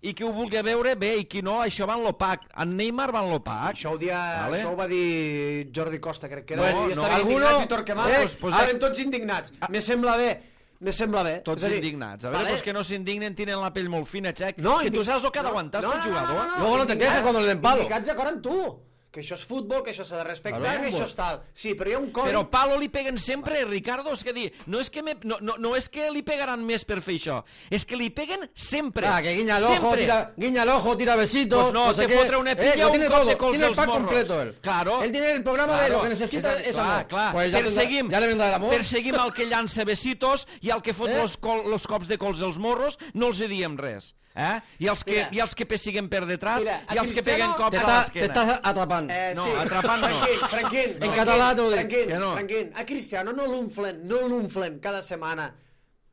I qui ho vulgui veure, bé, i qui no, això va en l'opac. En Neymar va en l'opac. Això ho, dia, Vale. això ho va dir Jordi Costa, crec que era. No, i no, estaven alguno- indignats i Torquemada. Eh, Pues, pues, ah, estaven tots indignats. Me sembla bé. Me sembla bé. Tots És a dir, indignats. A veure, vale. pues que no s'indignen, tenen la pell molt fina, Xec. No, que tu indi- saps el que ha d'aguantar no, aquest no, no, jugador. no, no, Luego no te quejes cuando le den palo. Indicats d'acord amb tu. Que això és futbol, que això s'ha de respectar, Claro, que això és tal. Sí, però hi ha un codi... Però palo li peguen sempre, Ricardo, és que dir, no és que, me, no, no, no és que li pegaran més per fer això, és que li peguen sempre. Ah, que guiña el ojo, sempre. tira, guiña el ojo, tira besitos. Pues no, sé te qué. fotre una pilla Eh, lo o tiene un cop todo, de cols tiene el dels pack morros. completo él. Claro. Él tiene el programa de Claro. lo que necesita És, es clar, amor. clar. Pues ya perseguim, tendrá- ya le vendrá el amor. perseguim el que llança besitos i el que fot Eh? los, col, los cops de cols dels morros no els hi diem res. Eh? I, els que, Mira. I els que pessiguen per detrás Mira, a i els que Cristiano peguen cops Te a está, te l'esquena. estás atrapando. Eh, No, sí. atrapant no. Franquín, Franquín, En Franquín, català t'ho dic. Franquín, Que no. Franquín. A Cristiano no l'unflen, no l'unflen cada setmana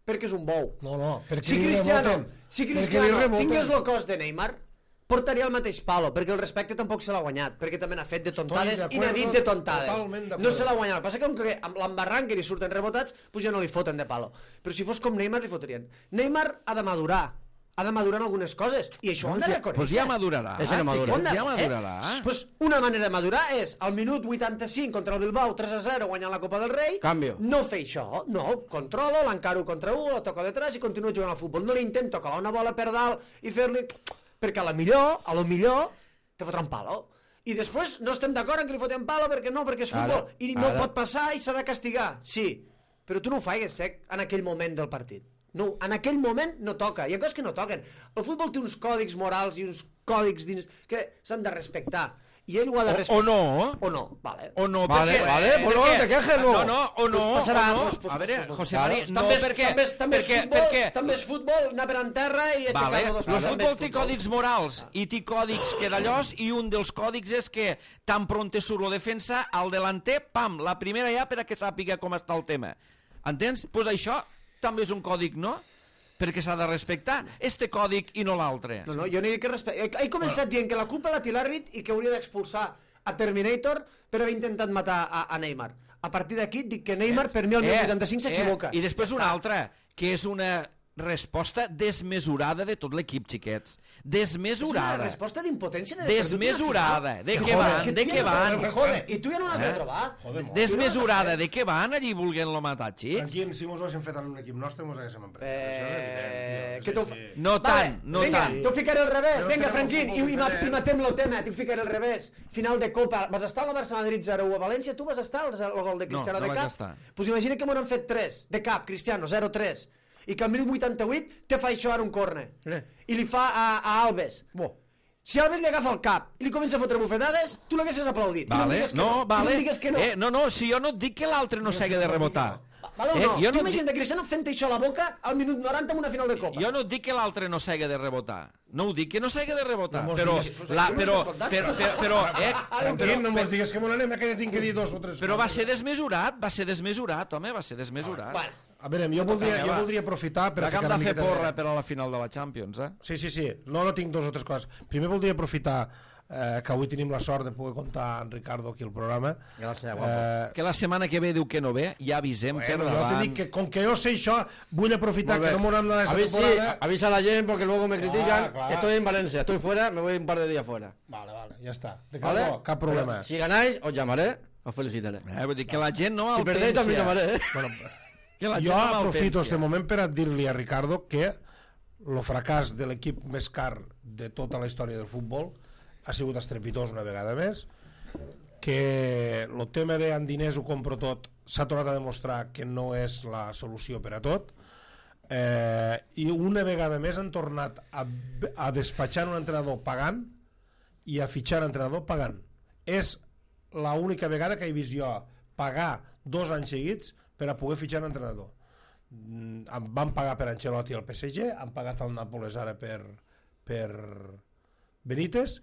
perquè és un bou. No, no, perquè Si li Cristiano, remoten. si Perquè li Cristiano remoten. tingués el cos de Neymar, portaria el mateix palo, perquè el respecte tampoc se l'ha guanyat, perquè també n'ha fet de tontades Estoy i de n'ha dit acuerdo, de tontades. totalment d'acord. No se l'ha guanyat. El que passa que com que amb l'embarranc que li surten rebotats, doncs ja no li foten de palo. Però si fos com Neymar, li fotrien. Neymar ha de madurar, ha de madurar en algunes coses, i això ho hem de reconèixer. Pues ja madurarà. Ese no madura. xiquets, ja Eh? madurarà. Pues una manera de madurar és al minut vuitanta-cinc contra el Bilbao tres a zero guanyant la Copa del Rei. Cambio. No fer això, no, controlo, l'encaro contra un, la toco detrás i continuo jugant al futbol. No li intento calar una bola per dalt i fer-li perquè a la millor, a lo millor, te fotran palo. I després no estem d'acord en que li fotem palo perquè no, perquè és futbol. Ara, I no ara. pot passar i s'ha de castigar. Sí, però tu no ho faigues, eh, en aquell moment del partit. No, en aquell moment no toca. Hi ha coses que no toquen. El futbol té uns còdics morals i uns còdics dins que s'han de respectar. I ell ho ha de O, respectar. o no. O no, vale. O no, Vale, perquè... vale, pues no te quejes, no. No, no, o no, Pues passarà, o no. pues, pues, A veure, pues, pues, José claro. Mari, no, també és, perquè... també és, també és perquè, futbol, perquè, també és futbol, anar per en terra i aixecar-lo Vale, dos el també és futbol té futbol. còdics morals i té còdics que d'allòs i un dels còdics és que tan pronte surt la defensa, al delanter, pam, la primera ja per a que sàpiga com està el tema. Entens? Doncs pues això també és un còdic, no? Perquè s'ha de respectar este còdic i no l'altre. No, no, jo no he dit que respecte. He començat dient que la culpa la té l'àrbit i que hauria d'expulsar a Terminator per haver intentat matar a, a Neymar. A partir d'aquí dic que Neymar per mi al minut vuitanta-cinc s'equivoca. Eh, I després una altra, que és una resposta desmesurada de tot l'equip, xiquets. Desmesurada. És una resposta d'impotència de Desmesurada. De què joder, van? que De tu què ja no van? saps, joder, i tu ja no l'has de Eh? trobar. Joder, molt. Desmesurada. De què van allí volent-lo matar, xics? Tranquil, si mos ho haguéssim fet en un equip nostre, mos haguéssim emprès. Això és evident, Eh, tio. que És tu... així. No tant, no vinga, tant. t'ho ficaré al revés. Però Vinga, tenim Franquín, un i, futbol i, ma- i diferent. matem el tema, t'ho ficaré al revés. Final de Copa, vas estar al Barça-Madrid zero u a València, tu vas estar al el gol de Cristiano no de vaig cap? estar. Pues imagina que m'ho han fet tres, de cap, Cristiano, zero tres. I que al minut vuitanta-vuit te fa això ara un córner. Eh. I li fa a, a Alves. Bo. Si Alves li agafa el cap i li comença a fotre bufetades, tu l'haguessis aplaudit. I no em Vale, digues que no, no. I vale. No em digues que no. Eh, no, no, si jo no et dic que l'altre no s'haga de rebotar. Vale o Eh, no? jo Tu no et imagina't dic- Cristiano fent això a la boca al minut noranta en una final de Copa. Jo no et dic que l'altre no s'haga de rebotar. No ho dic que no s'haga de rebotar, No mos però, diguis- la, no m'has però, escoltat. però, però, però, eh, Tranquil, no mos digues que me n'anem, que tinc que dir dos o tres. però va ser desmesurat, va ser desmesurat, home, va ser desmesurat. Bueno, A veure, jo voldria, jo va. voldria aprofitar per Per a que hem ficar de una fer miqueta porra per a la final de la Champions, eh? Sí, sí, sí. No, no tinc dos o tres coses. Primer voldria aprofitar eh, que avui tenim la sort de poder comptar amb Ricardo aquí al programa. Gràcies, guapo. Eh, Que la setmana que ve diu que no ve, ja avisem per bueno, jo davant. te dic que com que jo sé això, vull aprofitar Molt que bé. no m'hauran de aquesta Avisa, temporada. avisa a la gente porque luego me critican Ah, claro. que estoy en Valencia. Estoy fuera, me voy un par de días fuera. Vale, vale, ja està. Ricardo, ¿Vale? cap problema. Pero si ganáis, os llamaré, os felicitaré. Eh, vull dir que la gent no Si perdéis, también llamaré. ¿eh? Bueno, Que la gent jo no aprofito malpensia. este moment per a dir-li a Ricardo que el fracàs de l'equip més car de tota la història del futbol ha sigut estrepitós una vegada més, que el tema de amb diners ho compro tot s'ha tornat a demostrar que no és la solució per a tot, eh, i una vegada més han tornat a, a despatxar un entrenador pagant i a fitxar un entrenador pagant. És l'única vegada que he vist jo pagar dos anys seguits per a poder fitxar un entrenador. Mm, em van pagar per Ancelotti al P S G, han pagat al Nàpoles ara per, per Benítez,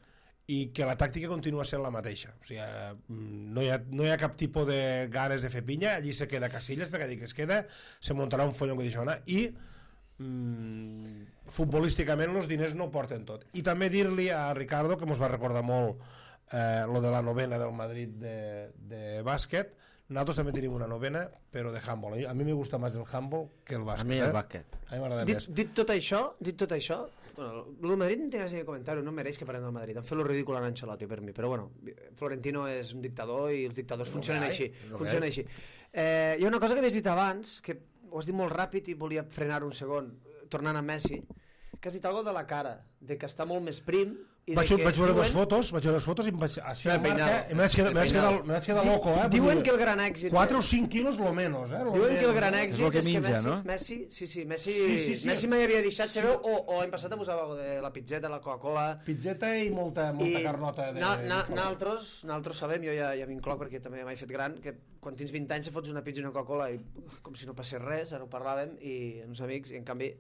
i que la tàctica continua sent la mateixa. O sigui, mm, no hi ha, no hi ha cap tipus de ganes de fer pinya, allí se queda Casillas, perquè dic que es queda, se muntarà un follon que d'això anar, i mm, futbolísticament els diners no ho porten tot. I també dir-li a Ricardo, que mos va recordar molt eh, lo de la novena del Madrid de, de bàsquet, nosaltres també tenim una novena, però de handball. A mi me gusta més el handball que el bàsquet. A mi el eh? bàsquet. A mi m'agrada dit, més. dit tot això, dit tot això, bueno, el Madrid no té gaire de comentar-ho, no mereix que parlem del Madrid. Han fet lo ridícul en Ancelotti per mi, però bueno, Florentino és un dictador i els dictadors funcionen així. Funcionen així. Eh, hi ha una cosa que havies dit abans, que ho has dit molt ràpid i volia frenar un segon, tornant a Messi, que has dit algo de la cara, de que està molt més prim. I Vaig, de que vaig veure diuen, les fotos, vaig veure les fotos i em vaig, així El al marca, peinado. i me vaig quedar, El me vaig quedar, peinado. me vaig quedar loco, eh? Diuen Vull que el dir, gran èxit... quatre o cinc quilos lo menos, eh? Lo Diuen que el menos, gran eh? èxit És el que és que menja, Messi, no? Messi, sí, sí, Messi, Sí, sí, sí. Messi mai havia deixat, sabeu, o, o l'any passat abusava algo de la pizzeta, la Coca-Cola... Pizzeta i molta, molta carnota de... na, na, de naltros, naltros sabem, jo ja, ja m'incloc perquè també m'he fet gran, que quan tens vint anys se fots una pizza i una Coca-Cola i com si no passés res, ara ho parlàvem, i uns amics, i en canvi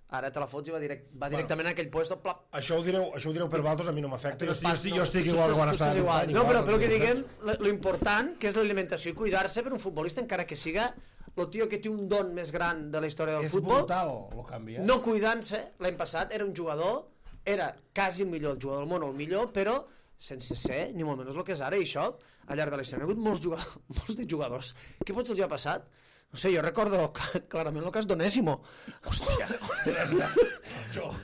ara te la fots i va, direct, va directament a aquell puesto, plop. Això ho direu, això ho direu per vosaltres, a mi no m'afecta. Jo, Tu estic, estàs- jo, estic, no, jo estic tu igual estàs- que quan tu estava... estàs igual. company, No, però, igual, però el que no diguem, tinc lo, lo important, que és l'alimentació i cuidar-se per un futbolista, encara que siga el tio que té un don més gran de la història del És futbol, brutal el canvi, eh? no cuidant-se, l'any passat era un jugador, era quasi el millor el jugador del món, o el millor, però sense ser ni molt menys el que és ara, i això, al llarg de la història, hi ha hagut molts, jugadors, molts de jugadors. Què potser els ha passat? No sé, jo recordo cl- clarament el cas d'Onésimo. Hòstia, te l'has nata.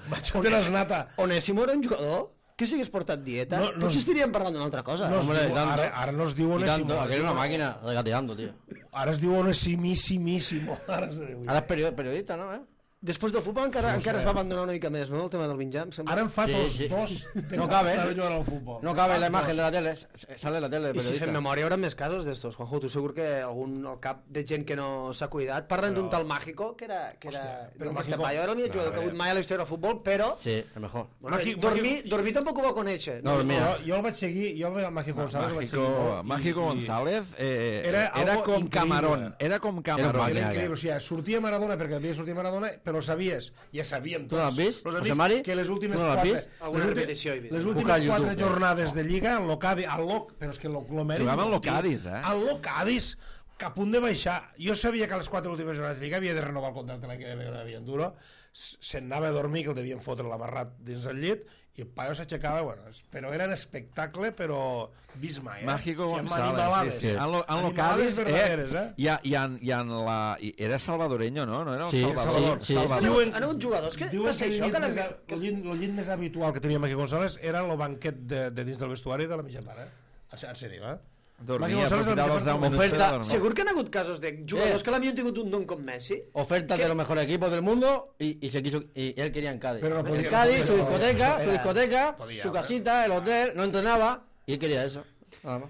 Macho, te l'has nata. Onésimo era un jugador que si hagués portat dieta, No, no, no- potser estaríem parlant d'una altra cosa. No es Hombre, diu, tanto. ara, ara no es diu Y Onésimo. tanto, aquello es una máquina regateando, tío. Ara es diu Onesimíssimíssimo. Ara es diu. Ahora es period- periodista, ¿no? ¿Eh? Després del futbol encara, Sí, encara sí. es va abandonar una mica més, no?, el tema del Binjam. Ara en fa Sí, dos, sí. dos de No que cabe. estava jugant al futbol. No cabe la imagen de la tele, s- sale la tele del I si periodista. fem memòria, hi haurà més casos d'estos. Juanjo, tu segur que algun al cap de gent que no s'ha cuidat. Parlen Però- d'un tal Mágico, que era... Que era Hòstia, però d'un Mágico- Payo, era el millor No, jugador a que ha hagut veure. mai a la història del futbol, però... Sí, el mejor. Bueno, Mágico- dormir, Mágico- dormir tampoc ho va conèixer. No, dormia. Jo, jo el vaig seguir, jo el Mágico González el vaig seguir Mágico, molt. i- Mágico i- González eh, Era era, algo com increïble. Camarón, era com Camarón. Era Era increïble, o sigui, sortia Maradona perquè havia sortit Maradona, però sabies, ja sabíem Tu no l'has vist, los José amics, Mari? que les últimes Tu no l'has quatre, vist? Alguna les últi- repetició he vist. les Busca últimes al quatre YouTube. jornades de Lliga, el Locadi, el Loc, però és que el Lomeri... Jugava en Locadis, eh? El Locadis, que a punt de baixar. Jo sabia que a les quatre últimes jornades de Lliga havia de renovar el contracte l'any que ve, que havia duro, se'n anava a dormir, que el devien fotre l'amarrat dins el llit, i el paio s'aixecava, bueno, però era un espectacle, però vist mai, eh? Mágico O sigui, amb González, animalades. sí, sí. En lo, en lo Animalades Cádiz, verdaderes, eh? eh? I, a- i, en, i en la... I era salvadoreño, no? No era el Sí, Salvador. sí, sí. Salvador. Diuen- Han hagut jugadors que... Diuen va ser que això, el que llit, la... més, el, llit, el llit més habitual que tenia Maqui González era el banquet de, de dins del vestuari de la mitja part, eh? En en sèrio, eh? Dormia, Maqui González aprofitava el els deu mitja part- minuts per Oferta- dormir. Segur que han hagut casos de jugadors Eh. que l'havien tingut un don com Messi. Ofertas ¿Qué? de los mejores equipos del mundo y, y se quiso y él quería en Cádiz. Pero no podía, en Cádiz, no su podía, discoteca, no su podía. discoteca, Podía, su ¿eh? casita, el hotel, no entrenaba y él quería eso. Nada más.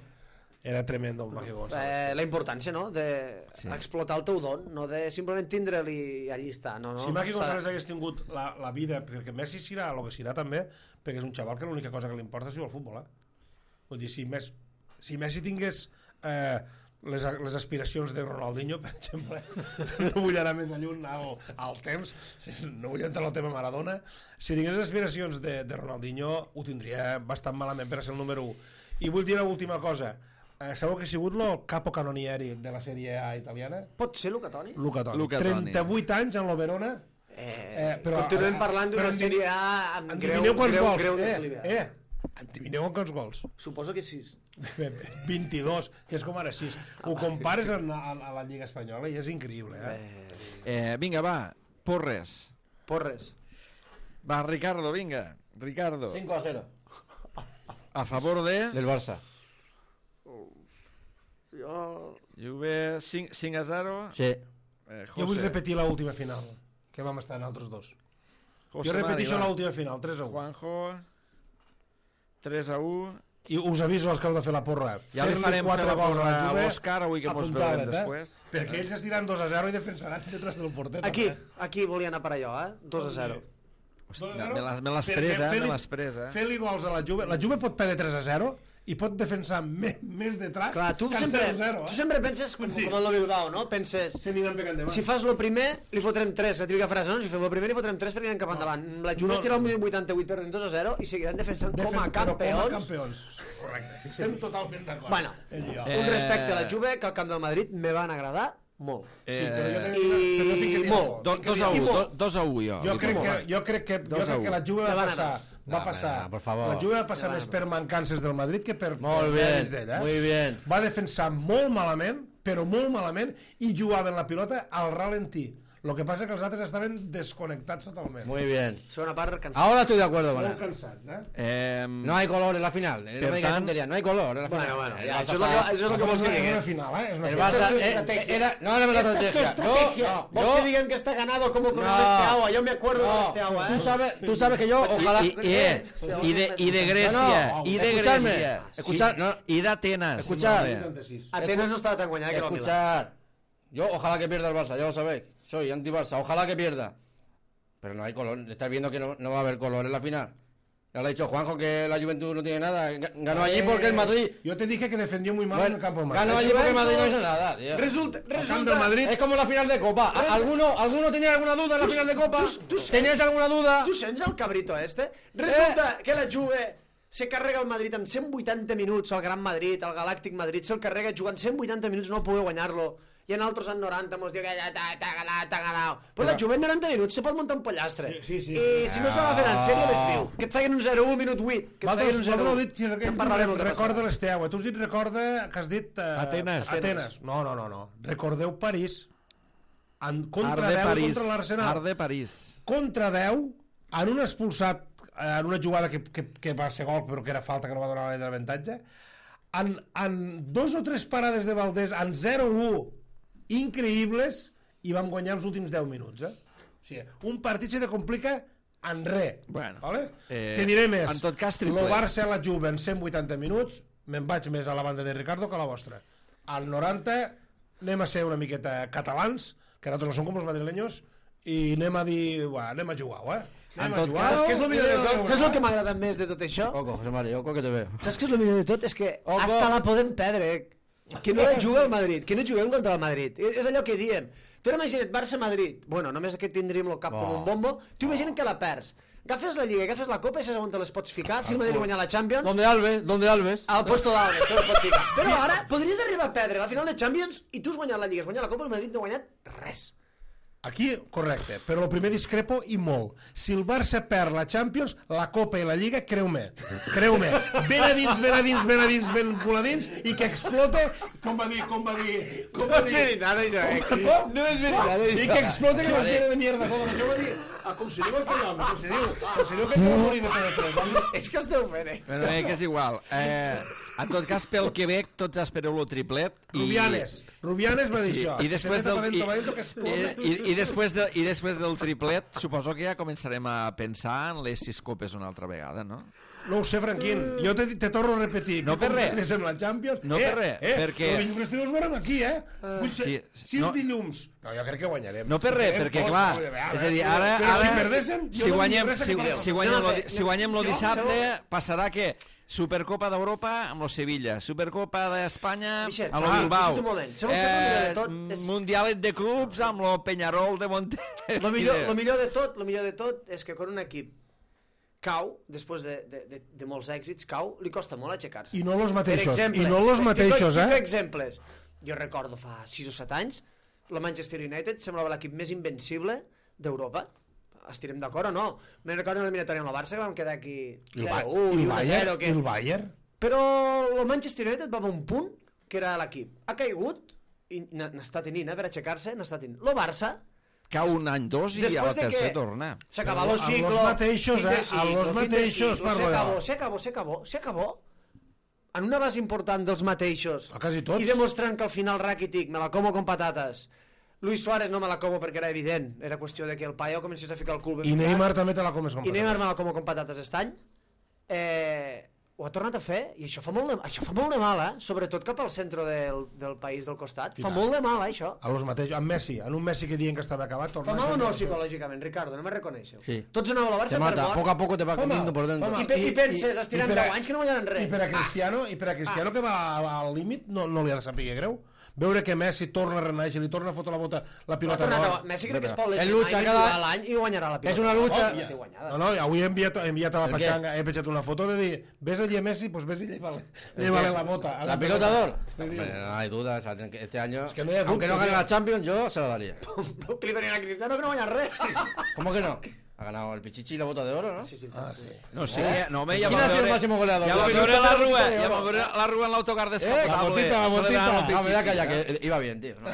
Era tremendo el Maqui González. Eh, la importància, no?, d'explotar el teu don, no de simplement tindre'l i allí està. No, no, Si Maqui s'ha- González hagués tingut la, la vida, perquè Messi serà el que serà també, perquè és un xaval que l'única cosa que li importa és jugar al futbol, eh? Vull dir, si, Messi, si Messi tingués eh, les, les aspiracions de Ronaldinho, per exemple, no vull anar més lluny al, al temps, no vull entrar al tema Maradona, si tingués les aspiracions de, de Ronaldinho ho tindria bastant malament per a ser el número u. I vull dir una última cosa, eh, sabeu que ha sigut el capo canonieri de la Sèrie A italiana? Pot ser Luca Toni? Luca Toni. Luca Toni. trenta-vuit anys en lo Verona. Eh, però- continuem parlant però d'una endivin- Sèrie A amb greu, Endivineu quants greu, gols? greu eh, declive. eh, endivineu quants gols? Suposo que sis. vint-i-dos, que és com ara sis. Ho compares a, a, a la Lliga Espanyola i és increïble, eh? Eh, vinga, va, Porres. Porres. Va, Ricardo, vinga. Ricardo. cinco a cero A favor de... del Barça. Jo... Juve cinc a zero. Sí. Eh, Jo vull repetir l'última final, que vam estar en altres dos. José Jo repeteixo Mari, va. l'última final, tres a u. Juanjo, tres a u. I us aviso als que heu de fer la porra. Ja li Fer-li farem quatre fer la gols a la porra a Juve, l'Òscar, avui que mos apuntalet, veurem després. Eh? Perquè ells es diran dos a zero i defensaran detrás del porter. Aquí, també. aquí volia anar per allò, eh? dos a zero. Hòstia, me l'has- me l'has Perquè pres, eh? fer-li- Me l'has pres, eh? Fer-li gols a la Juve. La Juve pot perdre tres a zero i pot defensar més, més detrás Clar, tu que el sempre, zero a zero. tu sempre penses com, Sí. com el Bilbao, no? Penses, Se aniran pegant de mà. si fas lo primer, li fotrem tres, la típica frase, no? Si fem lo primer, li fotrem tres perquè anem cap endavant. La Juve No, es tira al no. minut vuitanta-vuit perdent dos a zero i seguiran defensant com a Defen- però campions. Com a campions. Correcte. Estem totalment d'acord. Bueno, Ell i jo. Eh, un respecte a la Juve, que al camp del Madrid me van agradar molt. Sí, però jo, Eh, tinc, però jo tinc que dir molt. alguna do, cosa. dos a I u, molt. do, dos a u, jo. Jo li crec dono. que, jo crec que, jo Dos a crec u. que la Juve va Me van passar, anar. va No, passar, no, por favor. la Juve va passar Me més van per mancances del Madrid que per, Molt per bien, mèrits d'ell, eh? muy bien. Va defensar molt malament, però molt malament, i jugaven la pilota al ralentí. Lo que passa que els altres estaven desconnectats totalment. Muy bien. Segona part, cansat. Ahora estoy de acuerdo con Molt él. cansats, eh? Eh, No hay color en la final. No Per me digas tant- tonterías, no hay color en la final. Bueno, bueno, El ja, Barça això és lo que, está- això és lo que vols que És una digui. final, eh? És una El final. Barça Esto es eh, era, no hablemos de la estrategia. Yo, no, Vols yo, que digan que está ganado como con No. el este agua. Yo me acuerdo de no, este agua, tú ¿eh? sabes, tú sabes que yo ojalá. I, i, eh, i, de, i de Grècia, No, no, i de escuchadme, Grècia, escuchad, no. i d'Atenes. Escuchad. Molt bé. vuitanta-sis. Atenas no estaba tan guanyada que lo Milán. Escuchar. Yo ojalá que pierda el Barça, ya lo sabéis. Soy anti-Barça, ojalá que pierda. Pero no hay color. Estáis viendo que no, no va a haber color en la final. Ya lo ha dicho Juanjo que la Juventud no tiene nada. Ga- Ganó allí porque el Madrid. Yo te dije que defendió muy mal en el campo de Madrid. Ganó allí porque el Madrid no hizo nada, tío. Resulta, El camp del resulta... Madrid. Es como la final de Copa. ¿A- ¿Alguno, ¿Alguno tenía alguna duda en la final de Copa? tú- tú- ¿Teníais alguna duda? Tu sents el cabrito este? Resulta que la Juve se carrega el Madrid en cent vuitanta minuts, el Gran Madrid, el Galàctic Madrid, se'l carrega jugant cent vuitanta minuts, no poder guanyar-lo. I en altres en noranta mos diu que ja t'ha t'ha ganat, t'ha ganat. Però la Juve en noranta minuts se pot muntar un pollastre. Sí, sí, sí. I si no se va fer en sèrio, les viu. Que et feien un zero un minut vuit. Que et feien Vosaltres, un zero vosaltres heu un. dit, si Ja en parlarem el que recorda passarà. l'Esteaua. Tu has dit recorda, que has dit... Uh, Atenes. Atenes. No, no, no, no. Recordeu París. En, contra Art de deu París. contra l'Arsenal. Art de París. Contra deu, en un expulsat, en una jugada que, que, que va ser gol, però que era falta, que no va donar l'avantatge, en, en dos o tres parades de Valdés, en zero u, increïbles, i vam guanyar els últims deu minuts, eh? O O sigui, un partit se te complica en res. Bueno, vale? eh, Te diré més. en tot cas, triple. El Barça a la Juve en cent vuitanta minuts, me'n vaig més a la banda de Ricardo que a la vostra. Al noranta anem a ser una miqueta catalans, que nosaltres no som com els madrileños, i anem a dir, uah, anem a jugar, eh? En Anem tot a jugar. Saps què és el millor de tot? Saps el que m'agrada més de tot això? Oco, José María, oco que te veo. Saps què és el millor de tot? És que Ojo. hasta la podem perdre. Que no la juga el Madrid, que no juguem contra el Madrid. És és allò que diem. Tu imagina't Barça-Madrid. Bueno, només que tindríem el cap Oh. com un bombo. Tu imagina't que la perds. Agafes la Lliga, agafes la Copa i saps on te les pots ficar. Si el Madrid guanya la Champions, ¿Dónde Alves? ¿Dónde Alves? al puesto d'Alves, te les pots ficar. Però ara podries arribar a perdre la final de Champions i tu has guanyat la Lliga, has guanyat la Copa, el Madrid no ha guanyat res. Aquí, correcte, però el primer discrepo i molt. Si el Barça perd la Champions, la Copa i la Lliga, creu-me, creu-me, ben a dins, ben a dins, ben a dins, ben cul a dins, i que explote, com va dir, com va dir, com va dir, nada, això, eh? com? No és veritat, I que explote que nos tiene de mierda, com això va dir, ah, com se diu el nom, com se diu, com se diu que no morir de T V tres, home. És que esteu fent, eh? Bueno, eh, que és igual. Eh, en tot cas, pel Quebec, tots espereu el triplet. I... Rubianes, Rubianes va dir Sí, això, i que després se del meta i, talento, talento que explote. i, i, després de, i després del triplet suposo que ja començarem a pensar en les sis copes una altra vegada, no? No ho sé, Franquín, jo te, te torno a repetir. No que per res. com amb la Champions. No eh, per res, eh, perquè- El dilluns els veurem aquí, eh? Vull ser, sí, si no- el dilluns... No, jo crec que guanyarem. No per res, Guanyarem perquè tot, clar, no, veure, és a dir, ara, però si ara perdéssim, jo si no guanyem, dic res si, que passa. si guanyem, No, lo, fe- si guanyem lo jo- dissabte, passarà que Supercopa d'Europa amb lo Sevilla, Supercopa d'Espanya Deixa't, amb lo ah, Bilbao, deixa't un moment. Sabeu què és el millor de tot? És- Mundialet de clubs amb lo Peñarol de Monte... Lo millor, lo millor de tot, lo millor de tot és que quan un equip cau, després de, de, de, de molts èxits, cau, li costa molt aixecar-se. I no los Per mateixos, exemple, i no los fico- mateixos, fico eh? exemples. Jo recordo fa sis o set anys, la Manchester United semblava l'equip més invencible d'Europa. Estirem d'acord o no? Me'n recordo en l'eliminatòria amb la Barça, que vam quedar aquí I el, Ba- zero u i el i u a Bayern, zero, i que... el Bayern. Però el Manchester United va a un punt que era l'equip. Ha caigut i n- n'està tenint, eh, per aixecar-se, n'està tenint. El Barça, Cau un any, dos i a la después de tercera que torna. se acabó Però el a ciclo, los mateixos, fin de eh, a ciclo, los fin de mateixos, ciclo, se parlo acabó, jo. se acabó, se acabó, se acabó. En una base important dels mateixos. A quasi tots. I demostrant que al final Rakitic me la como con patates. Luis Suárez no me la como perquè era evident. Era qüestió de que el paio comencés a ficar el cul ben I ficat. Neymar també te la comes com I Neymar me la como con patates aquest any. Eh, ho ha tornat a fer i això fa molt de, això fa molt de mal, eh? Sobretot cap al centre del, del país del costat. I Fa tant. molt de mal, eh, això. A los mateixos, amb Messi, en un Messi que diuen que estava acabat, torna Fa a mal o fer no això. psicològicament, Ricardo? No me reconeixeu. Sí. Tots anàveu a la Barça Te per mata, mort. poco a poco te va Fa mal, comiendo por dentro. fa mal. I, pe- i penses, estirant per a- deu anys que no guanyaran res. I per a Cristiano, i per a Cristiano que va al límit no, no li ha de saber greu. Veure que Messi torna a renaixer, li torna a fotre la bota, la Ha pilota tornat a... d'or. Messi crec que es pot El lesionar lucha i cada- jugar l'any i guanyarà la pilota. És una lucha- Oh, ja té guanyada. No, no, avui he enviat, he enviat a la ¿El qué? pachanga, he penjat una foto de dir, ves allí a Messi, pues ves y llévale, llévale la bota. a ¿La pelota de oro? Te digo. Hombre, no hay duda, o sea, tienen que- este año, que no hay aunque no duda, gane tío. la Champions, yo se la daría. Que li donin a Cristiano que no guanya res. ¿Cómo que no? Ha ganado el Pichichi y la bota de oro, ¿no? Sí, és veritat, Ah, sí. sí. No, sí, eh? no, home, ja ¿Quién vam ha sido el veure... máximo goleador? Ja vam La- veure la- la Rua, la- ja vam veure la Rua en l'autocar Eh, descapotable. la botita, la botita. celebrant el Ah, me voy a Pichichi. callar, que iba bien, tío. No,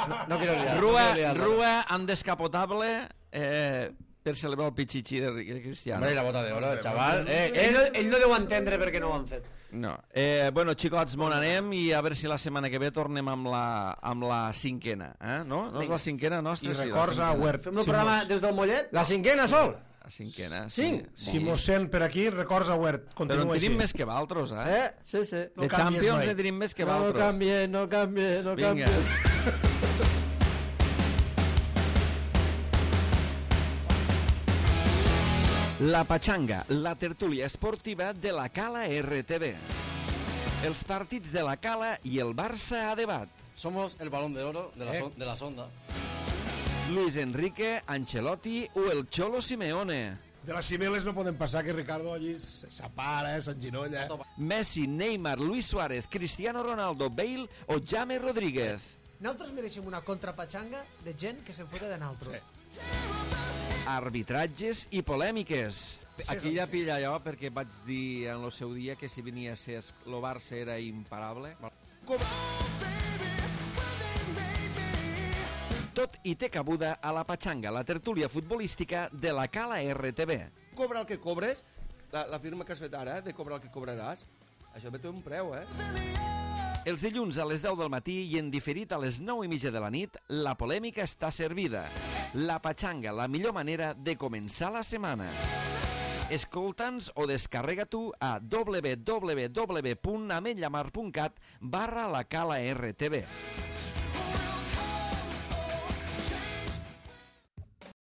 no, no quiero liar. Rua, no quiero liarla. Rua en descapotable eh, per celebrar el Pichichi de, de Cristiano. Hombre, y la bota de oro, el chaval. Eh, Ell, no, eh, ell no deu entendre per què no ho han fet. No. Eh, bueno, xicots, mon anem i a veure si la setmana que ve tornem amb la, amb la cinquena. Eh? No? No és la cinquena nostra? I sí, la records a cinquena. Huert. Fem el programa des del Mollet? la cinquena, Sol. La cinquena, Cinc? sí. Si mos sent per aquí, records a Huert. Però en Continua així. tenim més que valtros, eh? Eh, sí, sí. No de canvies Champions mai. en tenim més que No valtros. cambie, no cambie, no Vinga. cambie. La Pachanga, la tertúlia esportiva de la Cala R T V. Els partits de la Cala i el Barça a debat. Somos el balón de oro de, la Eh. son- de las ondas. Luis Enrique, Ancelotti o el Cholo Simeone. De les cimeles no podem passar, que Ricardo allí s'apara, s'enginolla. Messi, Neymar, Luis Suárez, Cristiano Ronaldo, Bale o James Rodríguez. Nosaltres mereixem una contrapatxanga de gent que se'n fota de nosaltres. Arbitratges i polèmiques. Aquí ja pilla allò perquè vaig dir en el seu dia que si venia a ser el Barça era imparable. Tot hi té cabuda a la Pachanga, la tertúlia futbolística de la Cala R T V. Cobra el que cobres, la, la firma que has fet ara, de cobrar el que cobraràs, això té un preu, eh? Els dilluns a les deu del matí i en diferit a les nou i mitja de la nit, la polèmica està servida. La Patxanga, la millor manera de començar la setmana. Escolta'ns o descarrega tu a www punt ametlllamar punt cat barra la cala R T V.